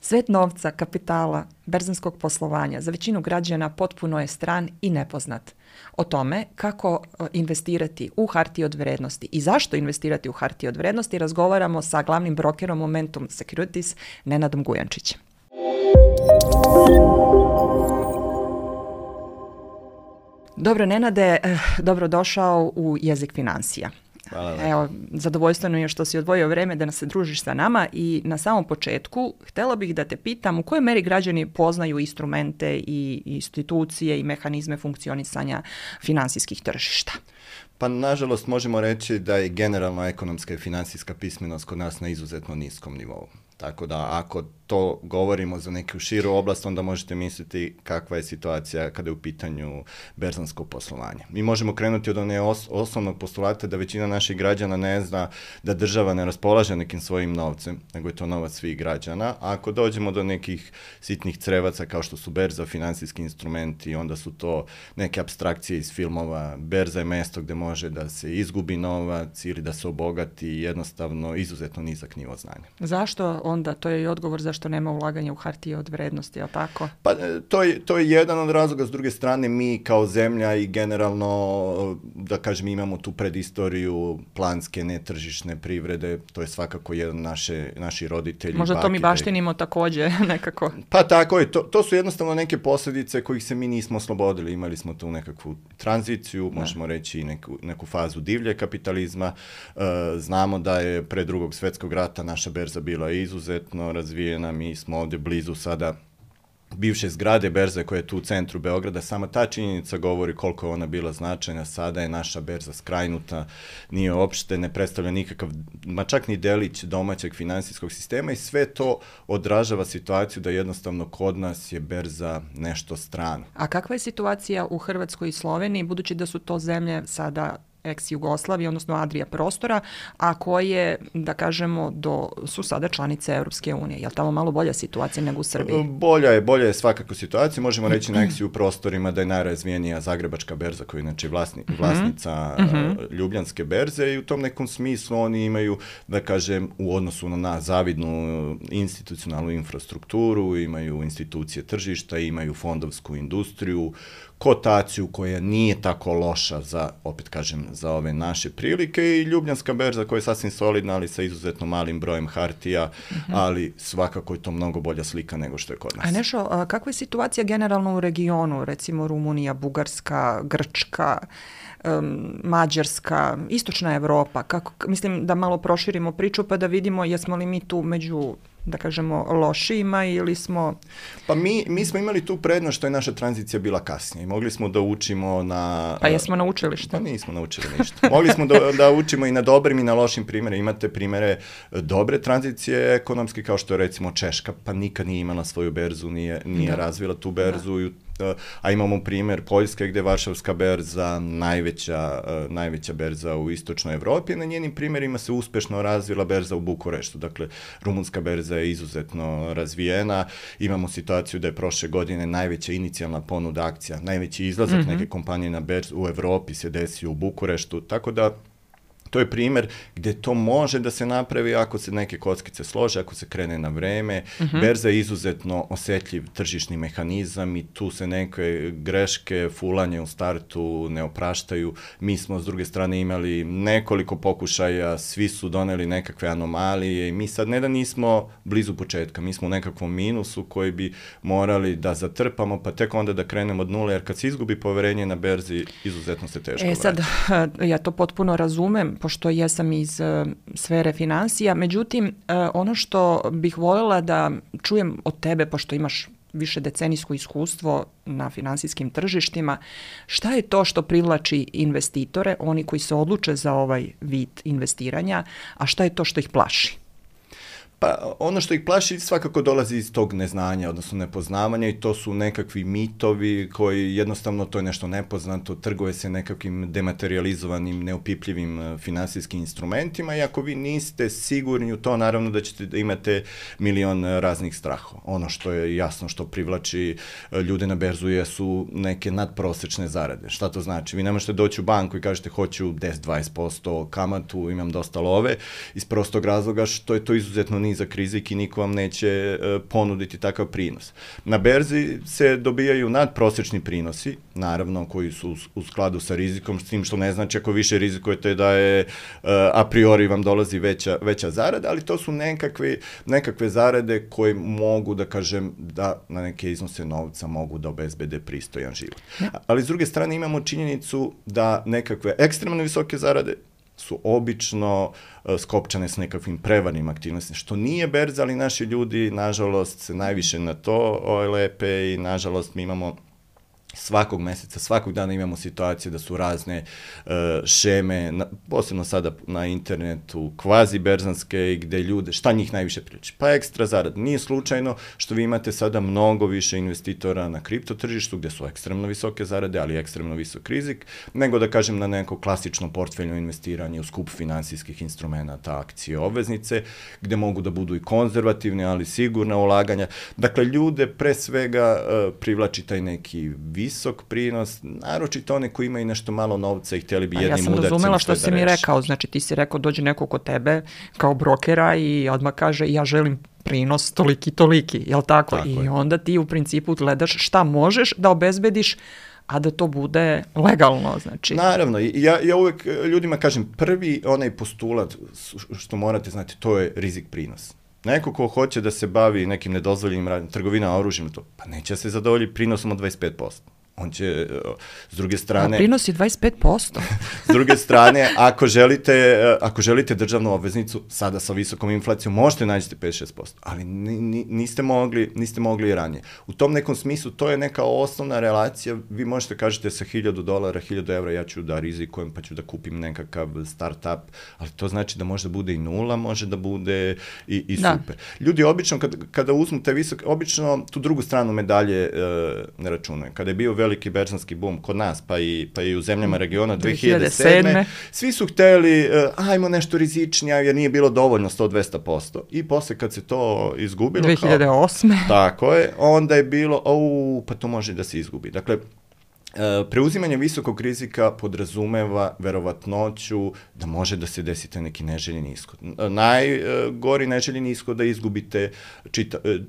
Svet novca, kapitala, berzanskog poslovanja za većinu građana potpuno je stran i nepoznat. O tome kako investirati u hartije od vrednosti i zašto investirati u hartije od vrednosti razgovaramo sa glavnim brokerom Momentum Securities Nenadom Gujančićem. Dobro, Nenade, dobrodošao u Jezik financija. Hvala. Evo, zadovoljstveno je što si odvojio vreme da nas se družiš sa nama i na samom početku htjela bih da te pitam u kojoj meri građani poznaju instrumente i institucije i mehanizme funkcionisanja finansijskih tržišta. Pa nažalost možemo reći da je generalno ekonomska i financijska pismenost kod nas na izuzetno niskom nivou. Tako da ako to govorimo za neku širu oblast, onda možete misliti kakva je situacija kada je u pitanju berzansko poslovanje. Mi možemo krenuti od osnovnog postulata da većina naših građana ne zna da država ne raspolaže nekim svojim novcem, nego je to novac svih građana. A ako dođemo do nekih sitnih crevaca kao što su berza, financijski instrumenti, onda su to neke apstrakcije iz filmova. Berza je mesto gdje može da se izgubi novac ili da se obogati, jednostavno izuzetno nizak nivo znanja. Zašto onda? To je i odgovor zašto nema ulaganja u hartije od vrednosti, je li tako? Pa to je jedan od razloga. S druge strane, mi kao zemlja i generalno, da kažem, imamo tu predistoriju planske, netržišne privrede. To je svakako jedan naši roditelji. Možda to mi baštinimo također nekako. Pa tako je. To su jednostavno neke posljedice kojih se mi nismo oslobodili. Imali smo tu nekakvu tranziciju, možemo reći i neku fazu divlje kapitalizma. Znamo da je pre Drugog svjetskog rata naša berza bila izuzetno razvijena. Mi smo ovdje blizu sada bivše zgrade berze koja je tu u centru Beograda. Sama ta činjenica govori koliko je ona bila značajna. Sada je naša berza skrajnuta, nije uopšte, ne predstavlja nikakav, ma čak ni delić domaćeg finansijskog sistema i sve to odražava situaciju da jednostavno kod nas je berza nešto strano. A kakva je situacija u Hrvatskoj i Sloveniji, budući da su to zemlje sada ex-Jugoslavije, odnosno Adria prostora, a koje, da kažemo, su sada članice Europske unije. Je li tamo malo bolja situacija nego u Srbiji? Bolja je svakako situacija. Možemo reći na ex-U prostorima da je najrazvijenija Zagrebačka berza koja je inače vlasnica Ljubljanske berze i u tom nekom smislu oni imaju, da kažem, u odnosu na nas zavidnu institucionalnu infrastrukturu, imaju institucije tržišta, imaju fondovsku industriju, kotaciju koja nije tako loša za ove naše prilike i Ljubljanska berza koja je sasvim solidna, ali sa izuzetno malim brojem hartija, ali svakako je to mnogo bolja slika nego što je kod nas. A Nešo, kakva je situacija generalno u regionu, recimo Rumunija, Bugarska, Grčka, Mađarska, Istočna Evropa? Mislim da malo proširimo priču pa da vidimo jesmo li mi tu među, da kažemo, lošijima ili smo... Pa mi smo imali tu prednost što je naša tranzicija bila kasnije. Mogli smo da učimo na... Pa jesmo naučili što? Pa nismo naučili ništa. Mogli smo da učimo i na dobrim i na lošim primjerima. Imate primjere dobre tranzicije ekonomske kao što je recimo Češka, pa nikad nije imala svoju berzu, nije razvila tu berzu. A imamo primjer Poljske gdje je Varšavska berza najveća berza u Istočnoj Evropi. Na njenim primjerima se uspješno razvila berza u Bukureštu. Dakle, rumunska berza je izuzetno razvijena. Imamo situaciju da je prošle godine najveća inicijalna ponuda akcija, najveći izlazak neke kompanije na berzu u Evropi se desio u Bukureštu. Tako da to je primjer gdje to može da se napravi ako se neke kockice slože, ako se krene na vreme. Berza je izuzetno osjetljiv tržišni mehanizam i tu se neke greške, fulanje u startu ne opraštaju. Mi smo s druge strane imali nekoliko pokušaja, svi su doneli nekakve anomalije i mi sad ne da nismo blizu početka, mi smo u nekakvom minusu koji bi morali da zatrpamo pa tek onda da krenemo od nule, jer kad se izgubi poverenje na berzi, izuzetno se teško vraća. Sad, ja to potpuno razumem, pošto jesam iz sfere financija. Međutim, ono što bih voljela da čujem od tebe, pošto imaš više decenijsko iskustvo na finansijskim tržištima, šta je to što privlači investitore, oni koji se odluče za ovaj vid investiranja, a šta je to što ih plaši? Pa ono što ih plaši svakako dolazi iz tog neznanja, odnosno nepoznavanja i to su nekakvi mitovi koji jednostavno to je nešto nepoznato, trguje se nekakvim dematerializovanim, neopipljivim finansijskim instrumentima i ako vi niste sigurni u to, naravno da ćete da imate milion raznih strahova. Ono što je jasno što privlači ljude na berzu jesu neke nadprosečne zarade. Šta to znači? Vi ne možete doći u banku i kažete hoću 10-20% kamatu, imam dosta love, iz prostog razloga što je to izuzetno nizak rizik i niko vam neće ponuditi takav prinos. Na berzi se dobijaju nadprosečni prinosi, naravno koji su u skladu sa rizikom, s tim što ne znači ako više rizikujete da je a priori vam dolazi veća zarada, ali to su nekakve zarade koje mogu da kažem da na neke iznose novca mogu da obezbede pristojan život. Ali s druge strane imamo činjenicu da nekakve ekstremno visoke zarade su obično skopčane s nekakvim prevarnim aktivnostima, što nije berza, ali naši ljudi, nažalost, se najviše na to lepe i nažalost mi imamo svakog meseca, svakog dana imamo situacije da su razne šeme, posebno sada na internetu, kvazi berzanske, gde ljude, šta njih najviše priliči? Pa ekstra zarad. Nije slučajno što vi imate sada mnogo više investitora na kripto tržištu, gde su ekstremno visoke zarade, ali ekstremno visok rizik, nego da kažem na neko klasično portfeljno investiranje u skup finansijskih instrumenta, akcije, obveznice, gde mogu da budu i konzervativne, ali sigurna ulaganja. Dakle, ljude pre svega privlači taj neki visok prinos, naročito one koji imaju nešto malo novca i htjeli bi jednim udarcem sve da reši. Ja sam razumela što si mi rekao, znači ti si rekao dođe neko kod tebe kao brokera i odmah kaže ja želim prinos toliki, jel tako? I onda ti u principu gledaš šta možeš da obezbediš, a da to bude legalno, znači. Naravno, ja uvek ljudima kažem, prvi onaj postulat što morate znati, to je rizik prinos. Neko ko hoće da se bavi nekim nedozvoljenim radnjama, trgovina oružjem, pa neće se zadovoljiti prinosom od 25%. On će, s druge strane... A prinos je 25%. S druge strane, ako želite državnu obveznicu, sada sa visokom inflacijom, možete naći 5-6%, ali niste mogli i ranije. U tom nekom smislu, to je neka osnovna relacija, vi možete kažete sa $1,000, €1,000, ja ću da rizikujem, pa ću da kupim nekakav start-up, ali to znači da može da bude i nula, može da bude i super. Ljudi obično, kada uzmu te visoke, obično tu drugu stranu medalje ne računaju. Kada je bio veliki berzanski boom kod nas, pa i u zemljama regiona 2007. Svi su hteli, ajmo nešto rizičnije, jer nije bilo dovoljno 100-200%. I posle kad se to izgubilo... 2008. Tako je, onda je bilo, pa to može da se izgubi. Dakle, preuzimanje visokog rizika podrazumeva verovatnoću da može da se desite neki neželjeni ishod. Najgori neželjeni ishod da izgubite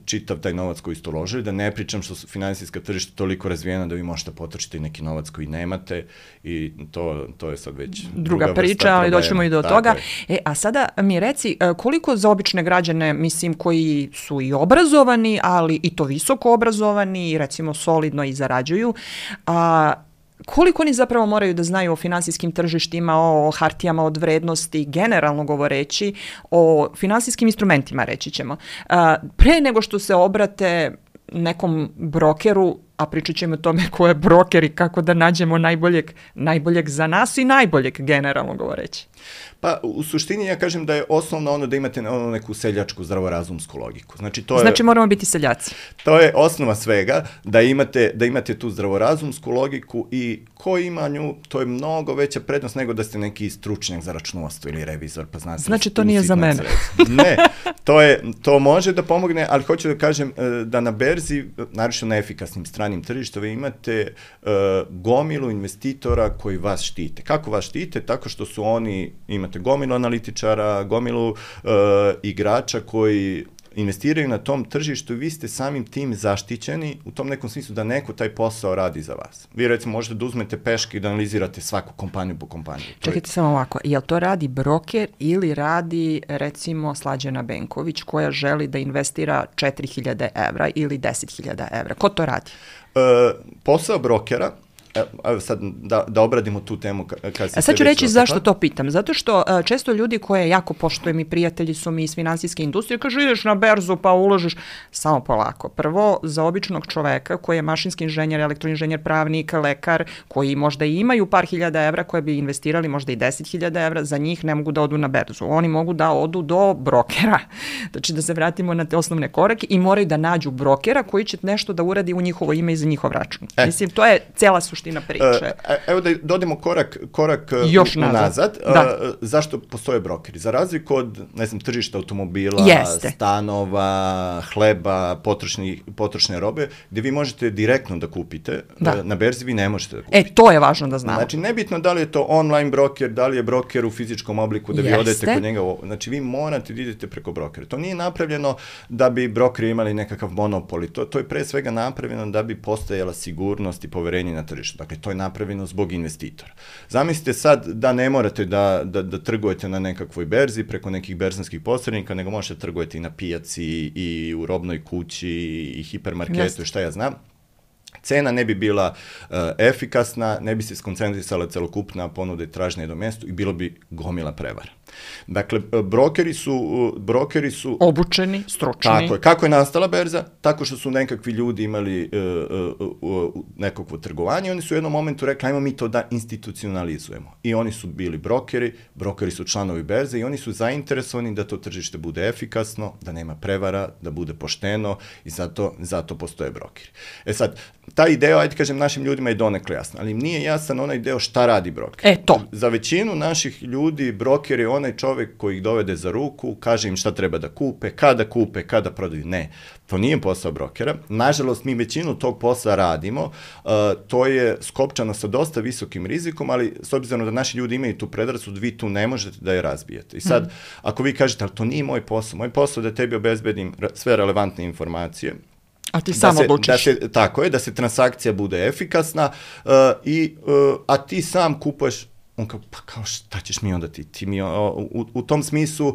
čitav taj novac koji ste uložili, da ne pričam što su finansijska tržišta toliko razvijena da vi možete potrošiti i neki novac koji nemate i to je sad već druga priča, ali doćemo i do toga. A sada mi reci, koliko za obične građane, mislim, koji su i obrazovani, ali i to visoko obrazovani, recimo solidno i zarađuju, koliko oni zapravo moraju da znaju o finansijskim tržištima, o hartijama od vrednosti, generalno govoreći, o finansijskim instrumentima, reći ćemo. Pre nego što se obrate nekom brokeru, a pričat ćemo o tome ko je broker i kako da nađemo najboljeg za nas i najboljeg, generalno govoreći. Pa u suštini ja kažem da je osnovno ono da imate neku seljačku zdravorazumsku logiku. Znači moramo biti seljaci. To je osnova svega, da imate tu zdravorazumsku logiku i ko ima nju, to je mnogo veća prednost nego da ste neki stručnjak za računovodstvo ili revizor. Pa znate, znači to nije za mene. Ne, to može da pomogne, ali hoću da kažem da na berzi, naročito na efikasnim stranim tržištima, imate gomilu investitora koji vas štite. Kako vas štite? Tako što su oni, imate gomilu analitičara, gomilu igrača koji investiraju na tom tržištu i vi ste samim tim zaštićeni u tom nekom smislu da neko taj posao radi za vas. Vi recimo možete da uzmete peške i da analizirate svaku kompaniju po kompaniju. Čekajte samo ovako, jel to radi broker ili radi recimo Slađana Benković koja želi da investira 4.000 evra ili 10.000 evra? Ko to radi? Posao brokera, sad da obradimo tu temu. Sad ću reći zašto to pitam. Zato što često ljudi koje jako poštujem i prijatelji su mi iz finansijske industrije, kažu ideš na berzu pa uložiš. Samo polako. Prvo, za običnog čoveka koji je mašinski inženjer, elektroinženjer, pravnik, lekar, koji možda i imaju par hiljada evra koje bi investirali, možda i 10.000 evra, za njih ne mogu da odu na berzu. Oni mogu da odu do brokera. Znači da se vratimo na te osnovne korake i moraju da nađu brokera koji će nešto da uradi u njihovo ime i za njihov račun. Mislim, to je cela suština suština priče. Evo da dodemo korak još nazad. Zašto postoje brokeri? Za razliku od, ne znam, tržišta automobila, stanova, hleba, potrošne robe, gde vi možete direktno da kupite, na berzi vi ne možete da kupite. To je važno da znamo. Znači, nebitno da li je to online broker, da li je broker u fizičkom obliku, da vi odete kod njega. Znači, vi morate da idete preko brokera. To nije napravljeno da bi brokeri imali nekakav monopol. To je pre svega napravljeno da bi postojala sigurnost i poverenje na tržištu. Dakle, to je napravljeno zbog investitora. Zamislite sad da ne morate da trgujete na nekakvoj berzi preko nekih berzanskih posrednika, nego možete trgujete i na pijaci i u robnoj kući i hipermarketu i šta ja znam. Cena ne bi bila efikasna, ne bi se skoncentrisala celokupna ponuda i tražnja do mestu i bilo bi gomila prevara. Dakle, brokeri su obučeni, stručni. Tako je. Kako je nastala berza? Tako što su nekakvi ljudi imali nekakvo trgovanje i oni su u jednom momentu rekli, ajmo mi to da institucionalizujemo. I oni su bili brokeri su članovi berze i oni su zainteresovani da to tržište bude efikasno, da nema prevara, da bude pošteno i zato postoje brokeri. Sad, ta ideja, ajde kažem, našim ljudima je donekle jasna, ali im nije jasan onaj deo šta radi broker. Za većinu naših ljudi broker je onaj čovek koji ih dovede za ruku, kaže im šta treba da kupe, kada prodaju. Ne, to nije posao brokera. Nažalost, mi većinu tog posla radimo, to je skopčano sa dosta visokim rizikom, ali s obzirom da naši ljudi imaju tu predrasud, vi tu ne možete da je razbijete. I sad, ako vi kažete, ali to nije moj posao da tebi obezbedim sve relevantne informacije, a ti sam odlučiš. Tako je, da se transakcija bude efikasna, a ti sam kupuješ. On kao, pa kao šta ćeš mi onda ti mi, u tom smislu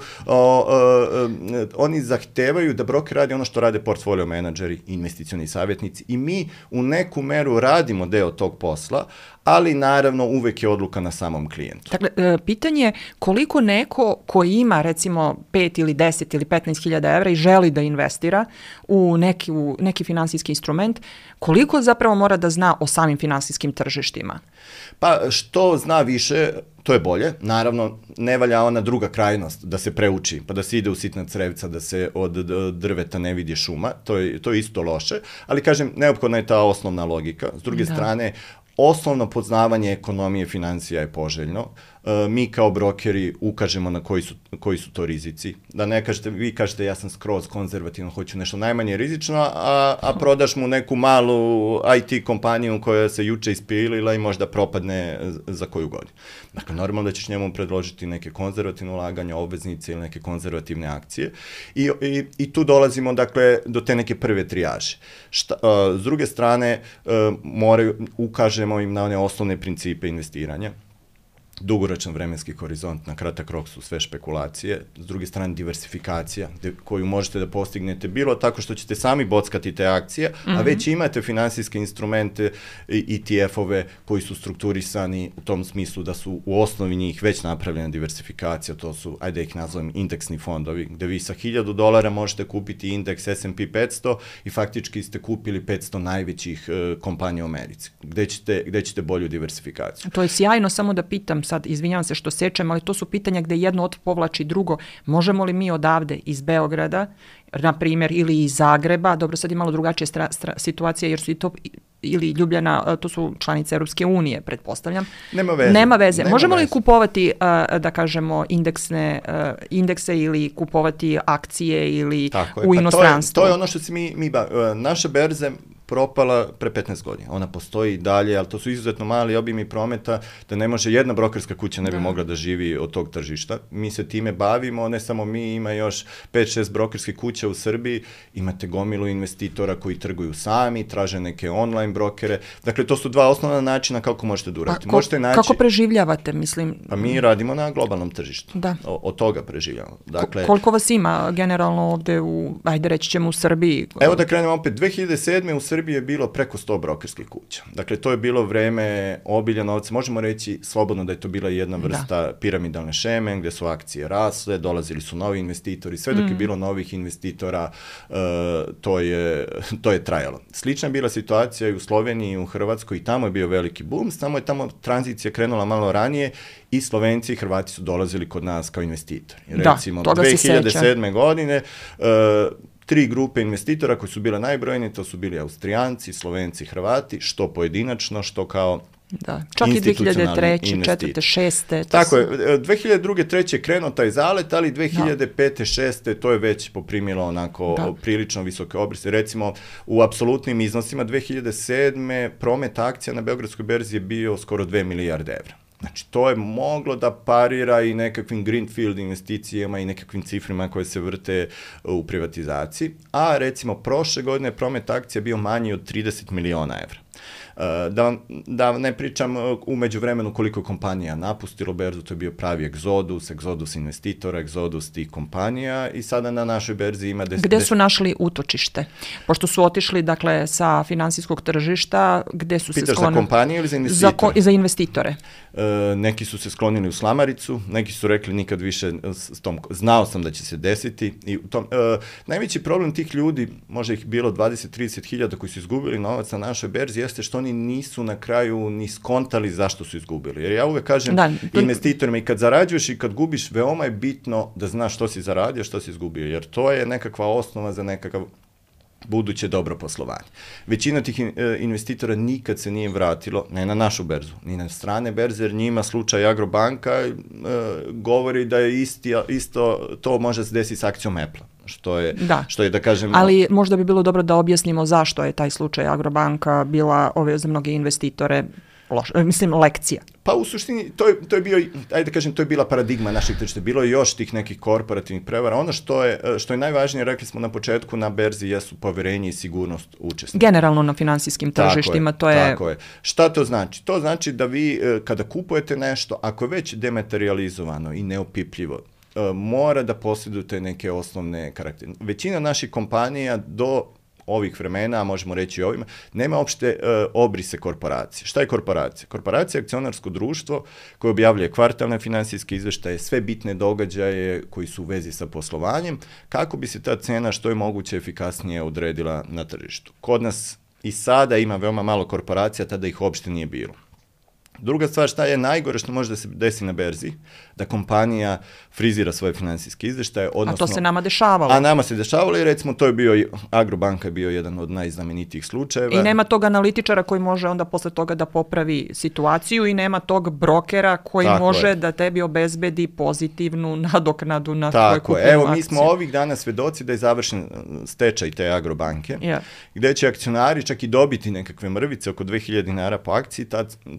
oni zahtevaju da broker radi ono što rade portfolio menadžeri, investicioni savjetnici i mi u neku meru radimo deo tog posla, ali naravno uvek je odluka na samom klijentu. Dakle, pitanje je koliko neko koji ima recimo 5 ili 10 ili 15.000 evra i želi da investira u neki finansijski instrument, koliko zapravo mora da zna o samim finansijskim tržištima? Pa što zna više, to je bolje. Naravno, ne valja ona druga krajnost, da se preuči, pa da se ide u sitna crevca, da se od drveta ne vidi šuma, to je isto loše, ali kažem, neophodna je ta osnovna logika. S druge strane, osnovno poznavanje ekonomije financija je poželjno. Mi kao brokeri ukažemo na koji su to rizici. Da ne kažete, vi kažete ja sam skroz konzervativno, hoću nešto najmanje rizično, a prodaš mu neku malu IT kompaniju koja se juče ispilila i možda propadne za koju godinu. Dakle, normalno da ćeš njemu predložiti neke konzervativne ulaganja, obveznice ili neke konzervativne akcije i tu dolazimo, dakle, do te neke prve trijaže. S druge strane, ukažemo im na one osnovne principe investiranja. Dugoročan vremenski horizont, na kratak rok su sve špekulacije, s druge strane diversifikacija koju možete da postignete bilo tako što ćete sami bockati te akcije, a već imate finansijske instrumente i ETF-ove koji su strukturisani u tom smislu da su u osnovi njih već napravljena diversifikacija, to su, ajde ih nazovem, indeksni fondovi, gde vi sa $1.000 možete kupiti indeks S&P 500 i faktički ste kupili 500 najvećih kompanija u Americi, gde ćete bolju diversifikaciju. To je sjajno, samo da pitam, sad izvinjavam se što sečem, ali to su pitanja gde jedno povlači drugo. Možemo li mi odavde iz Beograda, na primjer, ili iz Zagreba, dobro sad je malo drugačija situacija jer su i to ili Ljubljana, to su članice Europske unije, pretpostavljam. Nema veze. Možemo li kupovati, da kažemo, indekse ili kupovati akcije ili u inostranstvu? To je ono što se naše berze propala pre 15 godina. Ona postoji i dalje, ali to su izuzetno mali obimi prometa, da ne može jedna brokerska kuća ne bi mogla da živi od tog tržišta. Mi se time bavimo, ne samo mi, ima još 5-6 brokerskih kuća u Srbiji, imate gomilu investitora koji trguju sami, traže neke online brokere. Dakle, to su dva osnovna načina kako možete da uradite. Kako preživljavate, mislim? Pa mi radimo na globalnom tržištu. Od toga preživljamo. Dakle, koliko vas ima generalno ovde ajde reći ćemo u Srbiji? Evo da krenemo opet. 2007. u Srbiji je bilo preko 100 brokerskih kuća. Dakle, to je bilo vreme obilja novca. Možemo reći slobodno da je to bila jedna vrsta piramidalne šeme, gde su akcije rasle, dolazili su novi investitori, sve dok je bilo novih investitora, to je trajalo. Slična je bila situacija i u Sloveniji i u Hrvatskoj i tamo je bio veliki boom, samo je tamo tranzicija krenula malo ranije i Slovenci i Hrvati su dolazili kod nas kao investitori. Recimo, 2007. godine 3 grupe investitora koji su bile najbrojnije, to su bili Austrijanci, Slovenci, Hrvati, što pojedinačno, što kao čak i 2003, 2004, 2006. Tako je, 2002. 2003. je krenuo taj zalet, ali 2005. 2006. to je već poprimilo onako prilično visoke obrise. Recimo, u apsolutnim iznosima 2007. promet akcija na Beogradskoj berzi je bio skoro 2 milijarde evra. Znači, to je moglo da parira i nekakvim greenfield investicijama i nekakvim cifrima koje se vrte u privatizaciji, a recimo prošle godine promet akcija bio manji od 30 miliona evra. Da ne pričam u međuvremenu koliko kompanija napustilo berzu, to je bio pravi egzodus investitora, egzodus tih kompanija i sada na našoj berzi ima... Gde su našli utočište? Pošto su otišli, dakle, sa finansijskog tržišta, gde su se sklonili? Pitaš za kompanije ili za investitore? Za investitore. Neki su se sklonili u slamaricu, neki su rekli nikad više s tom, znao sam da će se desiti. I najveći problem tih ljudi, možda ih bilo 20-30 hiljada koji su izgubili novac na našoj berzi, jeste što oni nisu na kraju ni skontali zašto su izgubili. Jer ja uvek kažem investitorima, i kad zarađuješ i kad gubiš, veoma je bitno da znaš što si zaradio, što si izgubio, jer to je nekakva osnova za nekakav buduće dobro poslovanje. Većina tih investitora nikad se nije vratilo, ne na našu berzu, ni na strane berze, jer njima slučaj Agrobanka govori da je isto to može se desiti s akcijom Apple-a. Što je da kažem... Ali možda bi bilo dobro da objasnimo zašto je taj slučaj Agrobanka bila za mnoge investitore lekcija. Pa u suštini, to je bio, ajde da kažem, to je bila paradigma naših tržišta. Bilo je još tih nekih korporativnih prevara. Ono što je najvažnije, rekli smo na početku, na berzi jesu poverenje i sigurnost učesnika. Generalno na finansijskim tržištima, Tako je. Šta to znači? To znači da vi, kada kupujete nešto, ako je već dematerializovano i neopipljivo, mora da posjedujete neke osnovne karaktere. Većina naših kompanija do ovih vremena, a možemo reći i ovima, nema opšte obrise korporacije. Šta je korporacija? Korporacija je akcionarsko društvo koje objavljuje kvartalne finansijske izveštaje, sve bitne događaje koji su u vezi sa poslovanjem, kako bi se ta cena što je moguće efikasnije odredila na tržištu. Kod nas i sada ima veoma malo korporacija, tada ih uopšte nije bilo. Druga stvar, šta je najgore što može da se desi na berzi, da kompanija frizira svoje finansijske izveštaje, odnosno... A to se nama dešavalo. A nama se dešavalo i recimo to je bio, Agrobanka je bio jedan od najznamenitijih slučajeva. I nema tog analitičara koji može onda posle toga da popravi situaciju i nema tog brokera koji može da tebi obezbedi pozitivnu nadoknadu na tvoju kupljenu akciju. Evo, mi smo ovih dana svedoci da je završen stečaj te Agrobanke, gde će akcionari čak i dobiti nekakve mrvice, oko 2000 dinara po akciji.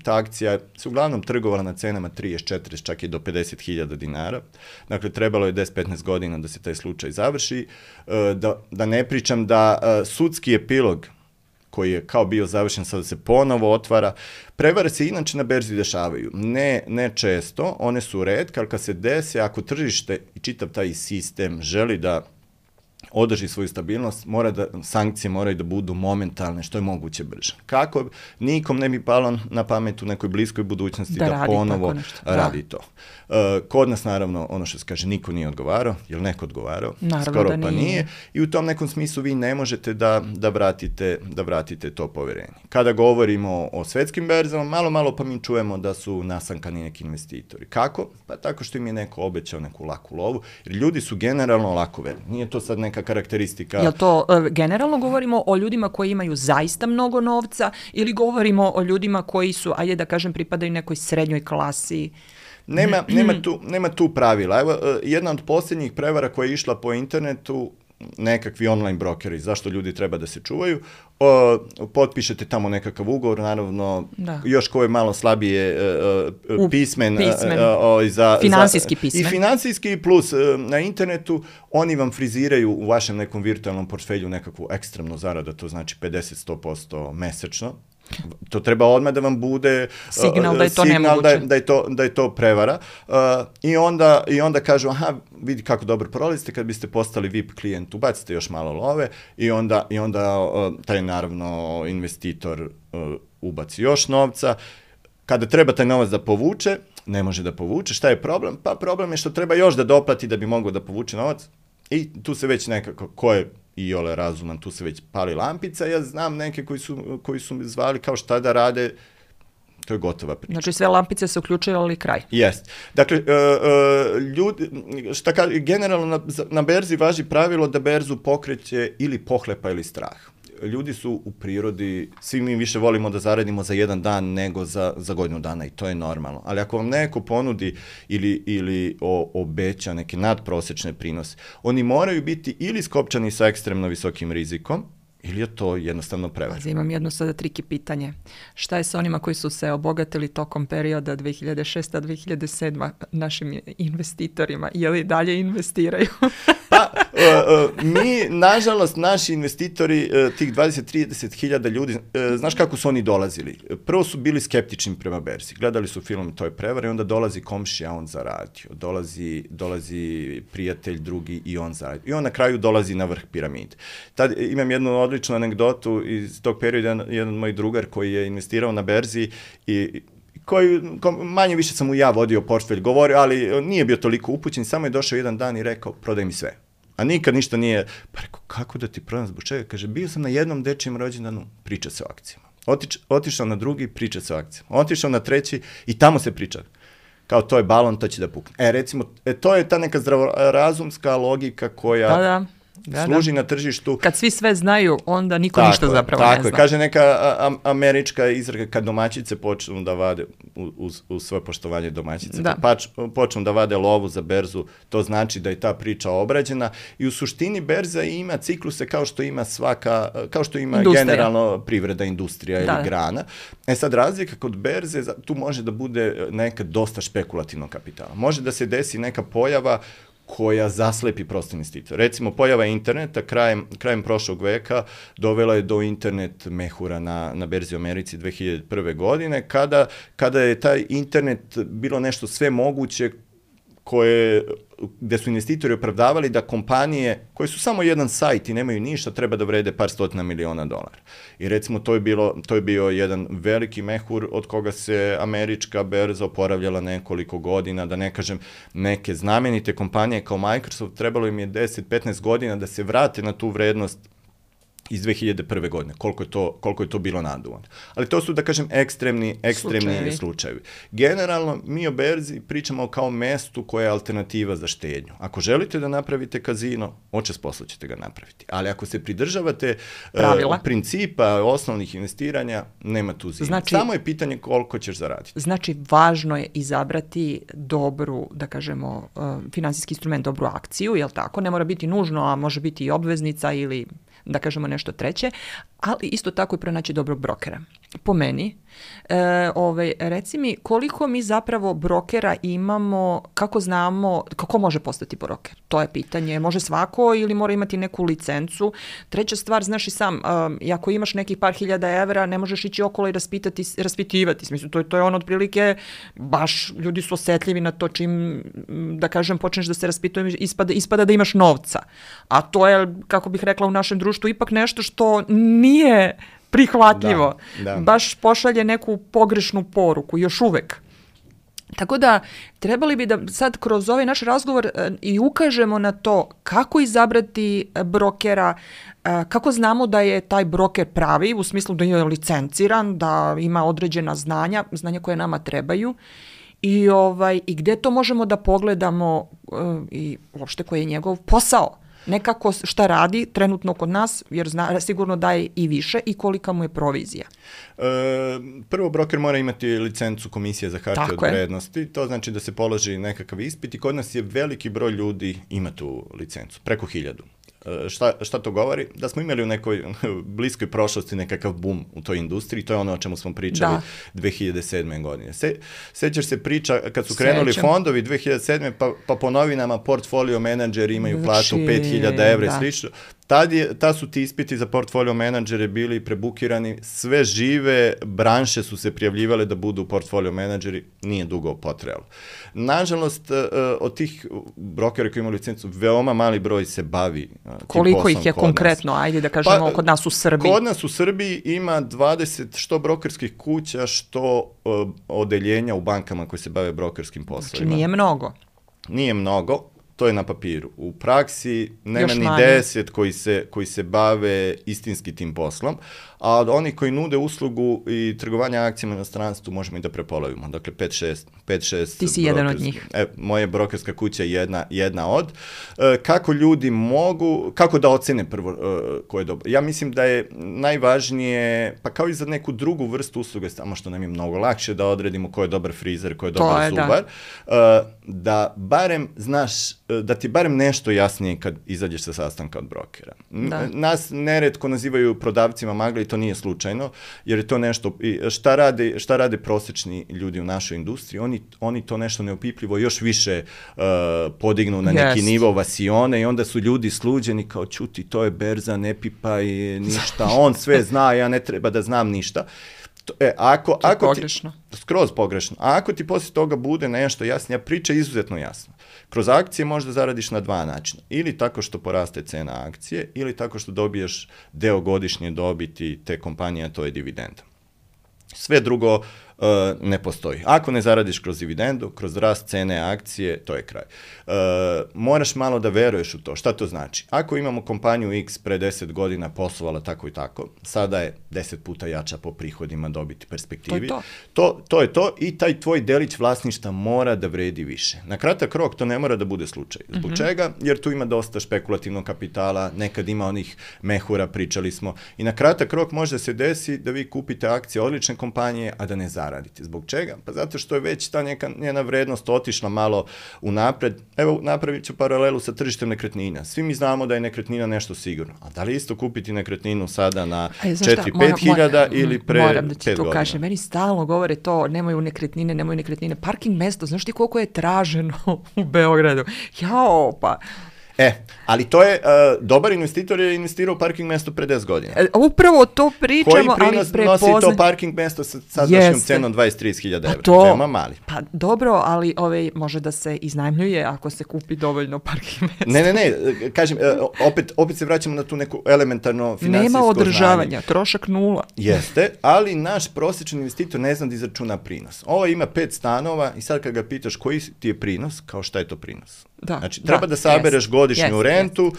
Ta akcija se uglavnom trgovala na cenama 30, 40, čak i do 50.000 dinara. Dakle, trebalo je 10-15 godina da se taj slučaj završi. Da ne pričam da sudski epilog koji je kao bio završen, sada se ponovo otvara. Prevare se inače na berzi dešavaju. Ne često, one su retke, ali kad se dese, ako tržište i čitav taj sistem želi da održi svoju stabilnost, sankcije moraju da budu momentalne, što je moguće brže. Kako nikom ne bi palo na pamet u nekoj bliskoj budućnosti da ponovo radi to. Kod nas, naravno, ono što se kaže, niko nije odgovarao, je li neko odgovarao? Skoro pa nije. I u tom nekom smislu vi ne možete da vratite to poverenje. Kada govorimo o svetskim berzama, malo pa mi čujemo da su nasankani neki investitori. Kako? Pa tako što im je neko obećao neku laku lovu, jer ljudi su generalno lakoverni. Nije to sad neka karakteristika. Jel to generalno govorimo o ljudima koji imaju zaista mnogo novca ili govorimo o ljudima koji su, ajde da kažem, pripadaju nekoj srednjoj klasi? Nema tu pravila. Evo, jedna od posljednjih prevara koja je išla po internetu, nekakvi online brokeri, zašto ljudi treba da se čuvaju, potpišete tamo nekakav ugovor, naravno, još ko je malo slabije pismen. Finansijski pismen. I finansijski plus na internetu, oni vam friziraju u vašem nekom virtualnom portfelju nekakvu ekstremnu zaradu, to znači 50-100% mesečno. To treba odmah da vam bude signal da je to nemoguće. Da je to prevara. I onda kažu, aha, vidi kako dobro prolazite, kad biste postali VIP klijent, ubacite još malo love i onda taj, naravno, investitor ubaci još novca. Kada treba taj novac da povuče, ne može da povuče. Šta je problem? Pa problem je što treba još da doplati da bi mogao da povuče novac i tu se već nekako, ko je i ole razuman, tu se već pali lampica. Ja znam neke koji su zvali kao šta da rade, To je gotova priča. Znači sve lampice se uključuju, ali kraj. Jest. Dakle, ljudi, generalno na berzi važi pravilo da berzu pokreće ili pohlepa ili strah. Ljudi su u prirodi, svi mi više volimo da zaradimo za jedan dan nego za godinu dana i to je normalno. Ali ako vam neko ponudi ili obeća neke nadprosečne prinose, oni moraju biti ili skopčani sa ekstremno visokim rizikom, ili je to jednostavno prevara. Imam jedno sada triki pitanje. Šta je sa onima koji su se obogatili tokom perioda 2006-2007 našim investitorima? Je li dalje investiraju? Pa, mi, nažalost, naši investitori, tih 20-30 hiljada ljudi, znaš kako su oni dolazili? Prvo su bili skeptični prema berzi. Gledali su film, to je prevara, i onda dolazi komšija, on zaradio. Dolazi prijatelj drugi i on zaradio. I on na kraju dolazi na vrh piramide. Tad imam jednu odličnu anegdotu iz tog perioda, jedan moj drugar koji je investirao na berzi i koji manje više sam mu ja vodio portfelj, govorio, ali nije bio toliko upućen, samo je došao jedan dan i rekao, prodaj mi sve. A nikad ništa nije, pa rekao, kako da ti prodam, zbog čega? Kaže, bio sam na jednom dečijem rođendanu, priča se o akcijama. Otišao na drugi, priča se o akcijama. Otišao na treći i tamo se priča. Kao to je balon, to će da pukne. Recimo, to je ta neka zdravorazumska logika koja služi na tržištu. Kad svi sve znaju, onda niko ništa zapravo ne zna. Tako je, kaže neka američka izreka, kad domaćice počnu da vade, uz svoje poštovanje domaćice, počnu da vade lovu za berzu, to znači da je ta priča obrađena i u suštini berza ima cikluse kao što ima kao što ima generalno privreda, industrija ili grana. Sad razlika kod berze, tu može da bude nekad dosta špekulativnog kapitala. Može da se desi neka pojava koja zaslepi prosto investitor. Recimo, pojava interneta krajem prošlog veka dovela je do internet mehura na berzi u Americi 2001. godine, kada je taj internet bilo nešto sve moguće gde su investitori opravdavali da kompanije koje su samo jedan sajt i nemaju ništa, treba da vrede par stotina miliona dolara. I recimo to je bio jedan veliki mehur od koga se američka berza oporavljala nekoliko godina, da ne kažem neke znamenite kompanije kao Microsoft, trebalo im je 10-15 godina da se vrate na tu vrednost iz 2001. godine, koliko je to bilo naduvano. Ali to su, da kažem, ekstremni slučajevi. Generalno, mi o berzi pričamo kao mestu koja je alternativa za štednju. Ako želite da napravite kazino, očas posla ćete ga napraviti. Ali ako se pridržavate principa osnovnih investiranja, nema tu zime. Samo je pitanje koliko ćeš zaraditi. Znači, važno je izabrati dobru, da kažemo, finansijski instrument, dobru akciju, jel tako? Ne mora biti nužno, a može biti i obveznica ili da kažemo nešto treće, ali isto tako i pronaći dobrog brokera. Po meni, reci mi koliko mi zapravo brokera imamo, kako znamo, kako može postati broker? To je pitanje. Može svako ili mora imati neku licencu? Treća stvar, znaš i sam, ako imaš nekih par hiljada evra, ne možeš ići okolo i raspitivati. Mislim, to je ono otprilike, baš ljudi su osetljivi na to čim, da kažem, počneš da se raspituješ, ispada da imaš novca. A to je, kako bih rekla, u našem društvu ipak nešto što nije prihvatljivo. Baš pošalje neku pogrešnu poruku, još uvek. Tako da, trebali bi da sad kroz ovaj naš razgovor i ukažemo na to kako izabrati brokera, kako znamo da je taj broker pravi, u smislu da je licenciran, da ima određena znanja koje nama trebaju i gde to možemo da pogledamo i uopšte koji je njegov posao. Nekako šta radi trenutno kod nas, jer sigurno daje i više i kolika mu je provizija. Prvo, broker mora imati licencu Komisije za hartije od vrednosti. To znači da se položi nekakav ispit i kod nas je veliki broj ljudi ima tu licencu, preko 1000. Šta to govori? Da smo imali u nekoj bliskoj prošlosti nekakav boom u toj industriji, to je ono o čemu smo pričali 2007. godine. Sećaš se priča kad su krenuli fondovi 2007. pa po novinama portfolio menadžeri imaju platu 5000 evra i slično. Tad su ti ispiti za portfolio menadžere bili prebukirani, sve žive branše su se prijavljivale da budu portfolio menadžeri, nije dugo potrajalo. Nažalost, od tih brokera koji imaju licencu, veoma mali broj se bavi tim poslom. Koliko ih je konkretno, ajde da kažemo, kod nas u Srbiji? Kod nas u Srbiji ima 20 što brokerskih kuća, što odeljenja u bankama koji se bave brokerskim poslovima. Znači nije mnogo. Nije mnogo. to je na papiru. U praksi nema Još ni manje. 10 koji se bave istinski tim poslom, a od onih koji nude uslugu i trgovanja akcijama na stranstvu možemo i da prepolovimo. Dakle, 5-6 Ti si jedan od njih. Moja brokerska kuća je jedna od. Kako ljudi mogu, kako da ocene prvo ko je dobro? Ja mislim da je najvažnije, pa kao i za neku drugu vrstu usluge, samo što nam je mnogo lakše da odredimo ko je dobar frizer, ko je dobar zubar, da barem znaš, da ti barem nešto jasnije kad izađeš sa sastanka od brokera. Nas neretko nazivaju prodavcima magla i to nije slučajno, jer je to nešto, šta rade prosječni ljudi u našoj industriji, oni to nešto neopipljivo još više podignu na neki nivo vasione i onda su ljudi sluđeni kao čuti, to je berza, ne pipaj ništa, on sve zna, ja ne treba da znam ništa. Ako pogrešno. Skroz pogrešno. A ako ti poslije toga bude nešto jasnije, priča je izuzetno jasna. Kroz akcije možda zaradiš na 2 načina. Ili tako što poraste cena akcije, ili tako što dobiješ deo godišnje dobiti te kompanije, a to je dividenda. Sve drugo ne postoji. Ako ne zaradiš kroz dividendu, kroz rast cene akcije, to je kraj. Moraš malo da veruješ u to. Šta to znači? Ako imamo kompaniju X pre 10 godina poslovala tako i tako, sada je 10 puta jača po prihodima, dobiti, perspektivi. To je to i taj tvoj delić vlasništva mora da vredi više. Na kratak rok to ne mora da bude slučaj. Zbog čega? Jer tu ima dosta špekulativnog kapitala, nekad ima onih mehura, pričali smo. I na kratak rok može se desi da vi kupite akcije odlične kompanije, a da ne zaradite. Zbog čega? Pa zato što je već ta neka njena vrednost otišla malo unapred. Evo, napravit ću paralelu sa tržištem nekretnina. Svi mi znamo da je nekretnina nešto sigurno. A da li isto kupiti nekretninu sada na 4-5 hiljada ili pre 5 godina? Moram da ti to kažem. Meni stalno govore to, nemaju nekretnine. Parking mesto, znaš ti koliko je traženo u Beogradu? Jao, pa... Ali to je, dobar investitor je investirao u parking mesto pre 10 godina. Upravo to pričamo, ali prepoznaj... Koji prinos nosi to parking mesto sa sadašnjom cenom 20-30 hiljada evra? Veoma mali. Pa dobro, ali može da se iznajmljuje ako se kupi dovoljno parking mesta. Ne, kažem, opet se vraćamo na tu neku elementarno finansijsko znanje. Nema održavanja, trošak 0. Jeste, ali naš prosječni investitor ne zna da izračuna prinos. Ovo ima 5 stanova i sad kad ga pitaš koji ti je prinos, kao šta je to prinos? Znači, treba da sabereš godišnju rentu,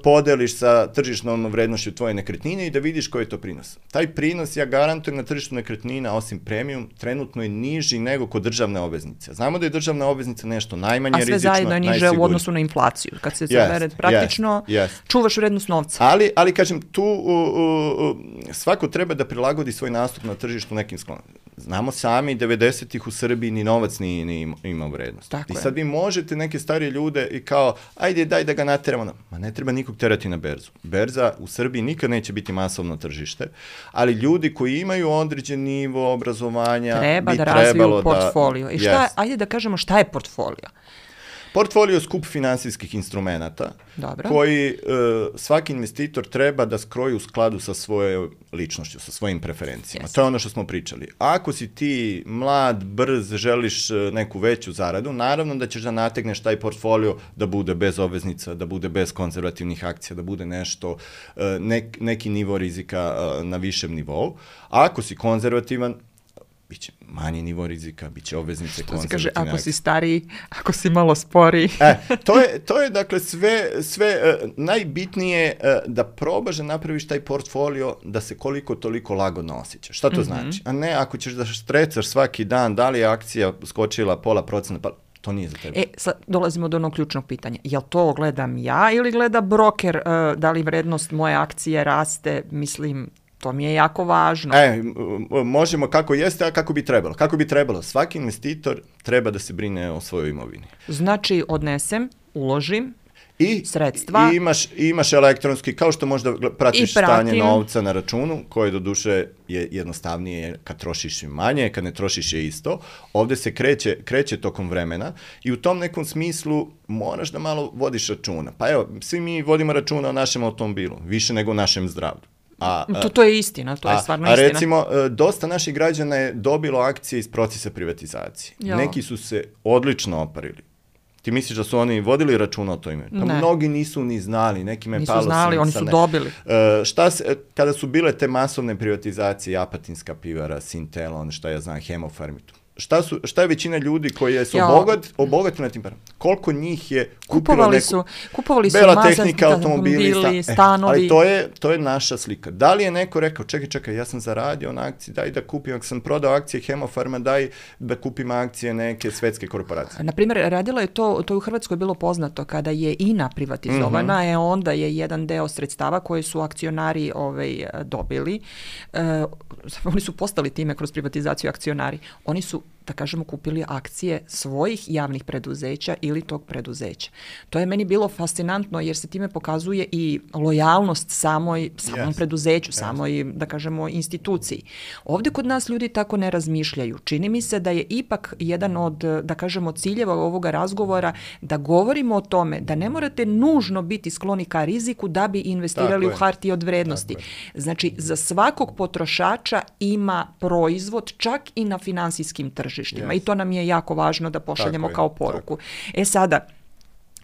podeliš sa tržišnom vrednošću tvoje nekretnine i da vidiš koji je to prinos. Taj prinos, ja garantujem, na tržištu nekretnina, osim premium, trenutno je niži nego kod državne obveznice. Znamo da je državna obveznica nešto najmanje rizično, najsigurnije. A sve zajedno je niže u odnosu na inflaciju. Kad se zabere praktično, čuvaš vrednost novca. Ali kažem, tu svako treba da prilagodi svoj nastup na tržištu nekim sklonom. Znamo sami, 90-ih u Srbiji ni novac nije imao vrednost. I sad vi možete neke starije ljude i kao, ajde daj da ga nateramo. Ma ne treba nikog terati na berzu. Berza u Srbiji nikad neće biti masovno tržište, ali ljudi koji imaju određen nivo obrazovanja treba da razviju portfolio. I ajde da kažemo šta je portfolio. Portfolio je skup finansijskih instrumenata koji svaki investitor treba da skroji u skladu sa svojoj ličnošću, sa svojim preferencijama. To je ono što smo pričali. Ako si ti mlad, brz, želiš neku veću zaradu, naravno da ćeš da nategneš taj portfolio da bude bez obveznica, da bude bez konzervativnih akcija, da bude nešto, neki nivo rizika na višem nivou. A ako si konzervativan, biće manji nivo rizika, biće obveznice konzervativne. Kaže, ako si stariji, ako si malo sporiji. To je dakle sve najbitnije da probaš da napraviš taj portfolio da se koliko toliko lagodno osjećaš. Šta to znači? A ne ako ćeš da štrecaš svaki dan, da li je akcija skočila 0,5%, pa to nije za tebe. Sad dolazimo do onog ključnog pitanja. Jel to gledam ja ili gleda broker, da li vrednost moje akcije raste, mislim... To mi je jako važno. Možemo kako jeste, a kako bi trebalo. Kako bi trebalo? Svaki investitor treba da se brine o svojoj imovini. Znači, odnesem, uložim sredstva. I imaš elektronski, kao što možda pratiš stanje novca na računu, koje doduše je jednostavnije kad trošiš manje, kad ne trošiš je isto. Ovdje se kreće tokom vremena i u tom nekom smislu moraš da malo vodiš računa. Pa evo, svi mi vodimo računa o našem automobilu, više nego o našem zdravlju. To je istina, to je stvarno istina. A recimo, dosta naših građana je dobilo akcije iz procesa privatizacije. Neki su se odlično oparili. Ti misliš da su oni vodili računa o to ime? Pa mnogi nisu ni znali, nekima je palo. Nisu znali, oni su dobili. Kada su bile te masovne privatizacije, Apatinska pivara, Sintelon, šta ja znam, Hemofarm, šta je većina ljudi koji su obogatili na tim parama? Koliko njih je kupilo kupovali su bela tehnika, automobili, stanovi. Ali to je naša slika. Da li je neko rekao, čekaj, ja sam zaradio na akciji, daj da kupim, ako sam prodao akcije Hemofarma, daj da kupim akcije neke svetske korporacije. Naprimjer, radilo je to je u Hrvatskoj bilo poznato, kada je INA privatizovana, onda je jedan deo sredstava koje su akcionari dobili. Oni su postali time kroz privatizaciju akcionari. Oni su, da kažemo, kupili akcije svojih javnih preduzeća ili tog preduzeća. To je meni bilo fascinantno jer se time pokazuje i lojalnost samom preduzeću, samoj, da kažemo, instituciji. Ovdje kod nas ljudi tako ne razmišljaju. Čini mi se da je ipak jedan od, da kažemo, ciljeva ovoga razgovora da govorimo o tome da ne morate nužno biti skloni ka riziku da bi investirali u hartije od vrednosti. Znači, za svakog potrošača ima proizvod čak i na finansijskim tržištima. I to nam je jako važno da pošaljemo kao poruku. Sada,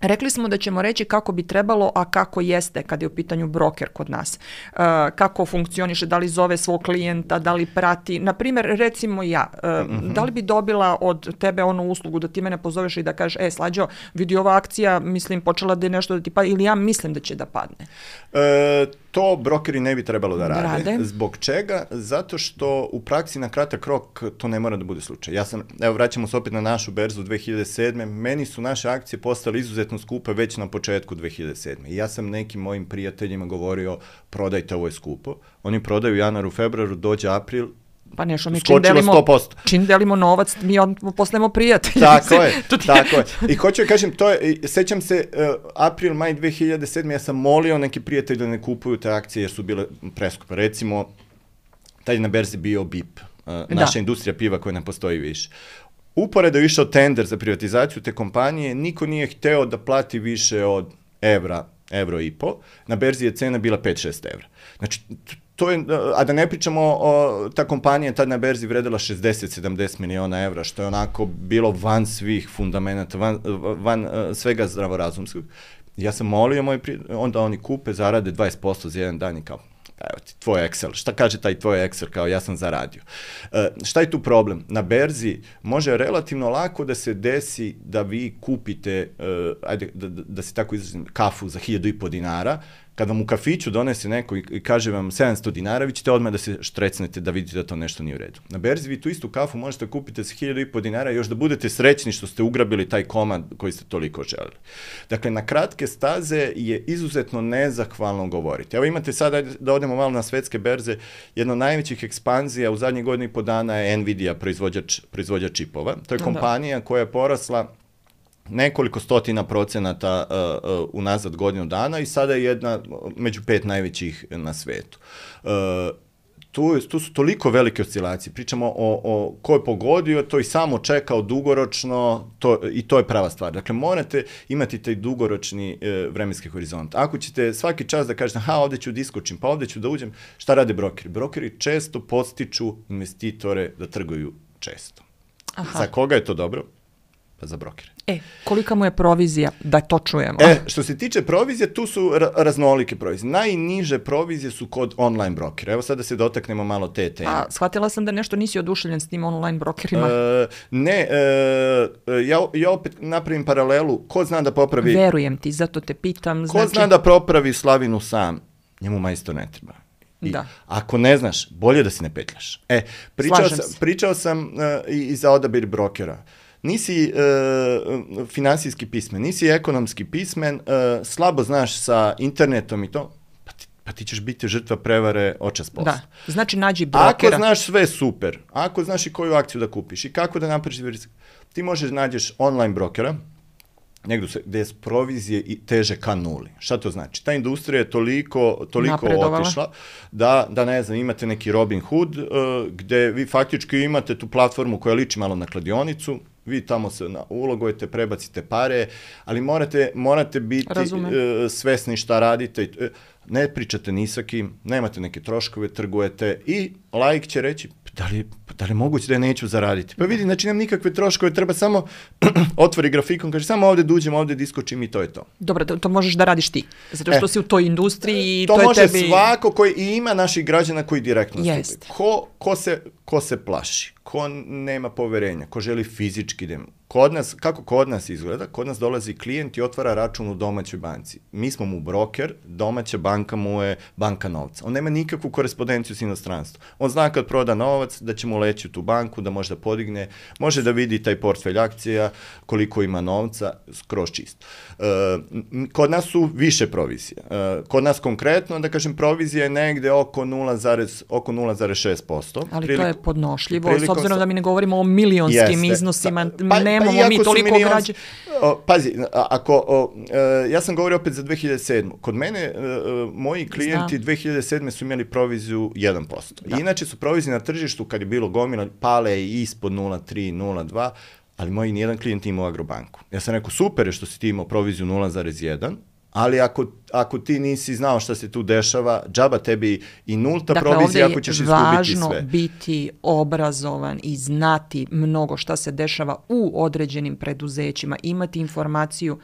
rekli smo da ćemo reći kako bi trebalo, a kako jeste kad je u pitanju broker kod nas. Kako funkcioniše, da li zove svog klijenta, da li prati. Naprimjer, recimo ja, da li bi dobila od tebe onu uslugu da ti mene pozoveš i da kažeš, Slađo, vidi ova akcija, mislim, počela da je nešto da ti padne, ili ja mislim da će da padne. To brokeri ne bi trebalo da rade. Zbog čega? Zato što u praksi na kratak rok to ne mora da bude slučaj. Vraćamo se opet na našu berzu 2007. Meni su naše akcije postale izuzetno skupe već na početku 2007. I ja sam nekim mojim prijateljima govorio, prodajte, ovo je skupo. Oni prodaju u januaru, februaru, dođe april, pa nešto mi čim delimo novac, mi postajemo prijatelji. Tako je. I hoću da kažem, sećam se, april, maj 2007. ja sam molio neki prijatelji da ne kupuju te akcije jer su bile preskupe. Recimo, taj na berzi bio BIP, naša industrija piva koja ne postoji više. Uporedo je išao tender za privatizaciju te kompanije, niko nije hteo da plati više od evro i po. Na berzi je cena bila 5-6 evra. Znači, a da ne pričamo, ta kompanija tad na berzi vredela 60-70 miliona evra, što je onako bilo van svih fundamenta, van svega zdravorazumskog. Ja sam molio onda oni kupe, zarade 20% za jedan dan i kao, evo ti, tvoj Excel. Šta kaže taj tvoj Excel? Kao, ja sam zaradio. Šta je tu problem? Na berzi može relativno lako da se desi da vi kupite, da se tako izrazim, kafu za 1.500 dinara, kada vam u kafiću donese neko i kaže vam 700 dinara, vi ćete odmah da se štrecnete da vidite da to nešto nije u redu. Na berzi vi tu istu kafu možete kupiti sa 1.500 dinara i još da budete srećni što ste ugrabili taj komad koji ste toliko želeli. Dakle, na kratke staze je izuzetno nezahvalno govoriti. Evo imate sad, da odemo malo na svetske berze, jedna od najvećih ekspanzija u zadnjih godinu i po dana je Nvidia, proizvođač čipova. To je kompanija koja je porasla nekoliko stotina procenata unazad godinu dana i sada je jedna među 5 najvećih na svetu. Tu su toliko velike oscilacije. Pričamo o ko je pogodio, to i samo čekao dugoročno i to je prava stvar. Dakle, morate imati taj dugoročni vremenski horizont. Ako ćete svaki čas da kažete, ovdje ću da iskočim, pa ovdje ću da uđem, šta rade brokeri? Brokeri često podstiču investitore da trguju često. Za koga je to dobro? Pa za brokere. Kolika mu je provizija, da to čujemo? Što se tiče provizije, tu su raznolike provizije. Najniže provizije su kod online brokera. Evo sad da se dotaknemo malo te teme. Shvatila sam da nešto nisi oduševljen s tim online brokerima. Ja opet napravim paralelu. Ko zna da popravi... Verujem ti, zato te pitam. Ko zna da popravi slavinu sam, njemu majstor ne treba. Ako ne znaš, bolje da si ne petljaš. Pričao sam i za odabir brokera. Nisi finansijski pismen, nisi ekonomski pismen, slabo znaš sa internetom i to, pa ti ćeš biti žrtva prevare očas posla. Da, znači nađi brokera. Ako znaš sve, super. Ako znaš i koju akciju da kupiš i kako da napraviš rizik, ti možeš nađeš online brokera, negdje gdje je provizije i teže ka nuli. Šta to znači? Ta industrija je toliko otišla da ne znam, imate neki Robin Hood gdje vi faktički imate tu platformu koja liči malo na kladionicu, vi tamo se ulogujete, prebacite pare, ali morate biti svesni šta radite. Ne pričate ni sa kim, nemate neke troškove, trgujete i laik će reći, da li je moguće da je neću zaraditi? Pa vidi, znači nemam nikakve troškove, treba samo otvori grafikon, kaže samo ovdje dođem, ovdje diskočim i to je to. Dobro, to možeš da radiš ti, zato što si u toj industriji i to to je može tebi... svako koji ima naših građana koji direktno Jest. stupi. Ko se plaši, ko nema poverenja, ko želi fizički da... Kako kod nas izgleda? Kod nas dolazi klijent i otvara račun u domaćoj banci. Mi smo mu broker, domaća banka mu je banka novca. On nema nikakvu korespondenciju s inostranstvom. On zna kad proda novac da će mu leći u tu banku, da može da podigne, može da vidi taj portfelj akcija, koliko ima novca, skroz čisto. Kod nas su više provizije. Kod nas konkretno, da kažem, provizija je negde oko 0,6%. Ali to je podnošljivo, s obzirom da mi ne govorimo o milionskim iznosima, nemamo mi toliko građana. Pazi, ja sam govorio opet za 2007. Kod mene, moji klijenti 2007. su imali proviziju 1%. Da. Inače su provizije na tržištu, kad je bilo gomila, pale i ispod 0,3, 0,2, ali moji nijedan klijent imao Agrobanku. Ja sam rekao, super je što si ti imao proviziju 0,1, ali ako ti nisi znao šta se tu dešava, džaba tebi i nulta provizija ako ćeš izgubiti sve. Dakle, ovdje je važno biti obrazovan i znati mnogo šta se dešava u određenim preduzećima, imati informaciju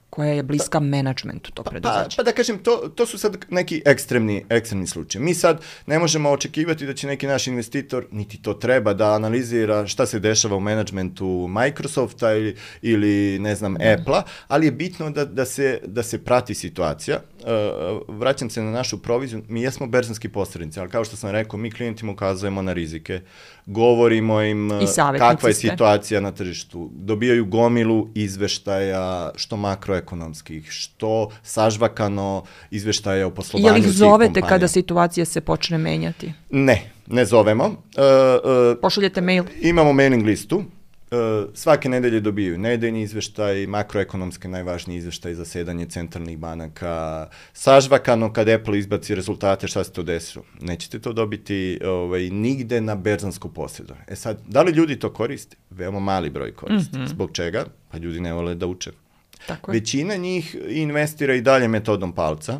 koja je bliska menadžmentu tog preduzeća. Pa da kažem, to su sad neki ekstremni slučaj. Mi sad ne možemo očekivati da će neki naš investitor, niti to treba, da analizira šta se dešava u menadžmentu Microsofta ili ne znam, Apple-a, ali je bitno da se prati situacija. Vraćam se na našu proviziju. Mi jesmo berzanski posrednici, ali kao što sam rekao, mi klijentima ukazujemo na rizike, govorimo im kakva je situacija na tržištu. Dobijaju gomilu izveštaja, što makroekonomskih, što sažvakano izveštaja o poslovanju svih kompanija. Je li ih zovete kada situacija se počne menjati? Ne zovemo. Pošaljete mail? Imamo mailing listu. Svake nedelje dobiju nedeljni izveštaj, makroekonomske najvažniji izveštaj za zasedanje centralnih banaka, sažvakano kad Apple izbaci rezultate, šta se to desilo. Nećete to dobiti nigde na berzansko posredovanje. Sad, da li ljudi to koriste? Veoma mali broj koriste. Zbog čega? Pa ljudi ne vole da uče. Većina njih investira i dalje metodom palca,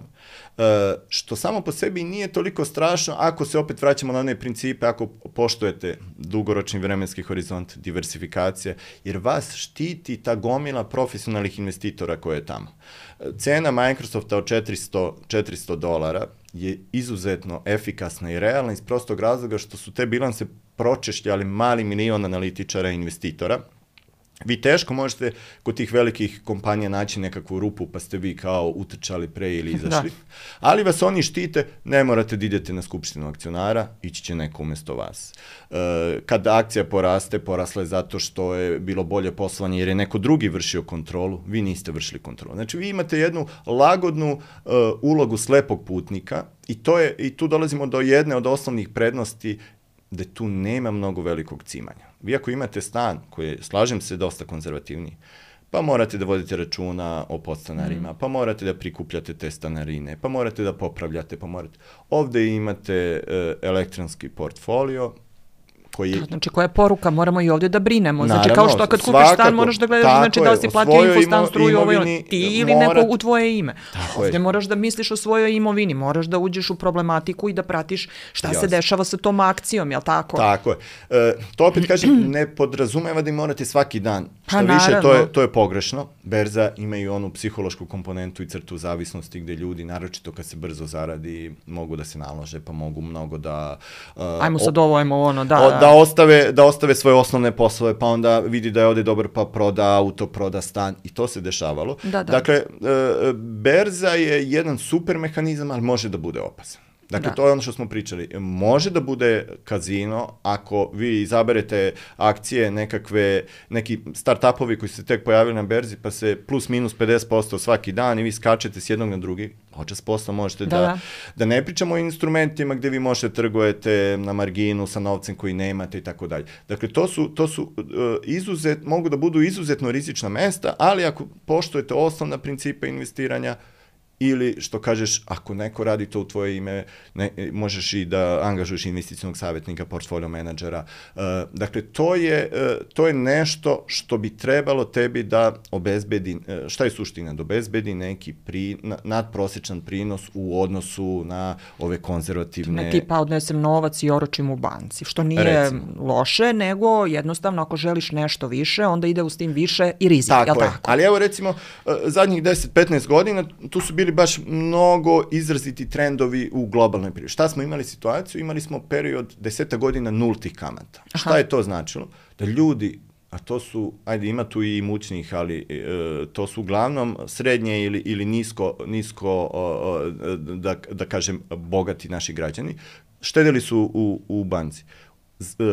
što samo po sebi nije toliko strašno ako se opet vraćamo na one principe, ako poštujete dugoročni vremenski horizont, diversifikacija, jer vas štiti ta gomila profesionalnih investitora koje je tamo. Cena Microsofta od $400 je izuzetno efikasna i realna iz prostog razloga što su te bilanse pročešljali mali milion analitičara i investitora. Vi teško možete kod tih velikih kompanija naći nekakvu rupu pa ste vi kao utrčali pre ili izašli, ali vas oni štite, ne morate da idete na skupštinu akcionara, ići će neko umjesto vas. Kada akcija poraste, porasla je zato što je bilo bolje poslovanje jer je neko drugi vršio kontrolu, vi niste vršili kontrolu. Znači vi imate jednu lagodnu ulogu slepog putnika i tu dolazimo do jedne od osnovnih prednosti da tu nema mnogo velikog cimanja. Vi ako imate stan koji je, slažem se, dosta konzervativniji, pa morate da vodite računa o podstanarima, pa morate da prikupljate te stanarine, pa morate da popravljate, Ovde imate elektronski portfolio, Znači, koja je poruka? Moramo i ovdje da brinemo. Znači, kao što kad kupiš stan, moraš da gledaš znači, da li si platio infostan, struju, ti ili neko u tvoje ime. Ovdje moraš da misliš o svojoj imovini, moraš da uđeš u problematiku i da pratiš šta se dešava sa tom akcijom, jel tako? Tako je. To opet kažem, ne podrazumeva da im morate svaki dan. Što više, to je pogrešno. Berza ima i onu psihološku komponentu i crtu zavisnosti gde ljudi, naročito kad se brzo zaradi, mogu da se nalože, pa mogu mnogo da... Ajmo sad ovo, Da ostave svoje osnovne poslove, pa onda vidi da je ovdje dobar, pa proda auto, proda stan i to se dešavalo. Dakle, berza je jedan super mehanizam, ali može da bude opasan. Dakle, to je ono što smo pričali. Može da bude kazino ako vi izaberete akcije neki start-upovi koji se tek pojavili na berzi, pa se plus minus 50% svaki dan i vi skačete s jednog na drugi. Počas posla možete da ne pričamo o instrumentima gdje vi možete trgujete na marginu sa novcem koji nemate i tako dalje. Dakle, to su mogu da budu izuzetno rizična mesta, ali ako poštujete osnovna principa investiranja, ili što kažeš, ako neko radi to u tvoje ime, možeš i da angažuješ investicionog savjetnika, portfolio menadžera. Dakle, to je nešto što bi trebalo tebi da obezbedi, šta je suština? Da obezbedi neki nadprosječan prinos u odnosu na ove konzervativne... Tipa odnesem novac i oročim u banci, što nije loše, nego jednostavno ako želiš nešto više, onda ide uz tim više i rizik, tako je. Ali evo recimo, zadnjih 10-15 godina tu su bili baš mnogo izraziti trendovi u globalnoj privredi. Šta smo imali situaciju? Imali smo period 10 godina nultih kamata. Aha. Šta je to značilo? Da ljudi, a to su, ajde ima tu i imućnih, ali to su uglavnom srednje ili nisko da kažem, bogati naši građani, štedili su u banci.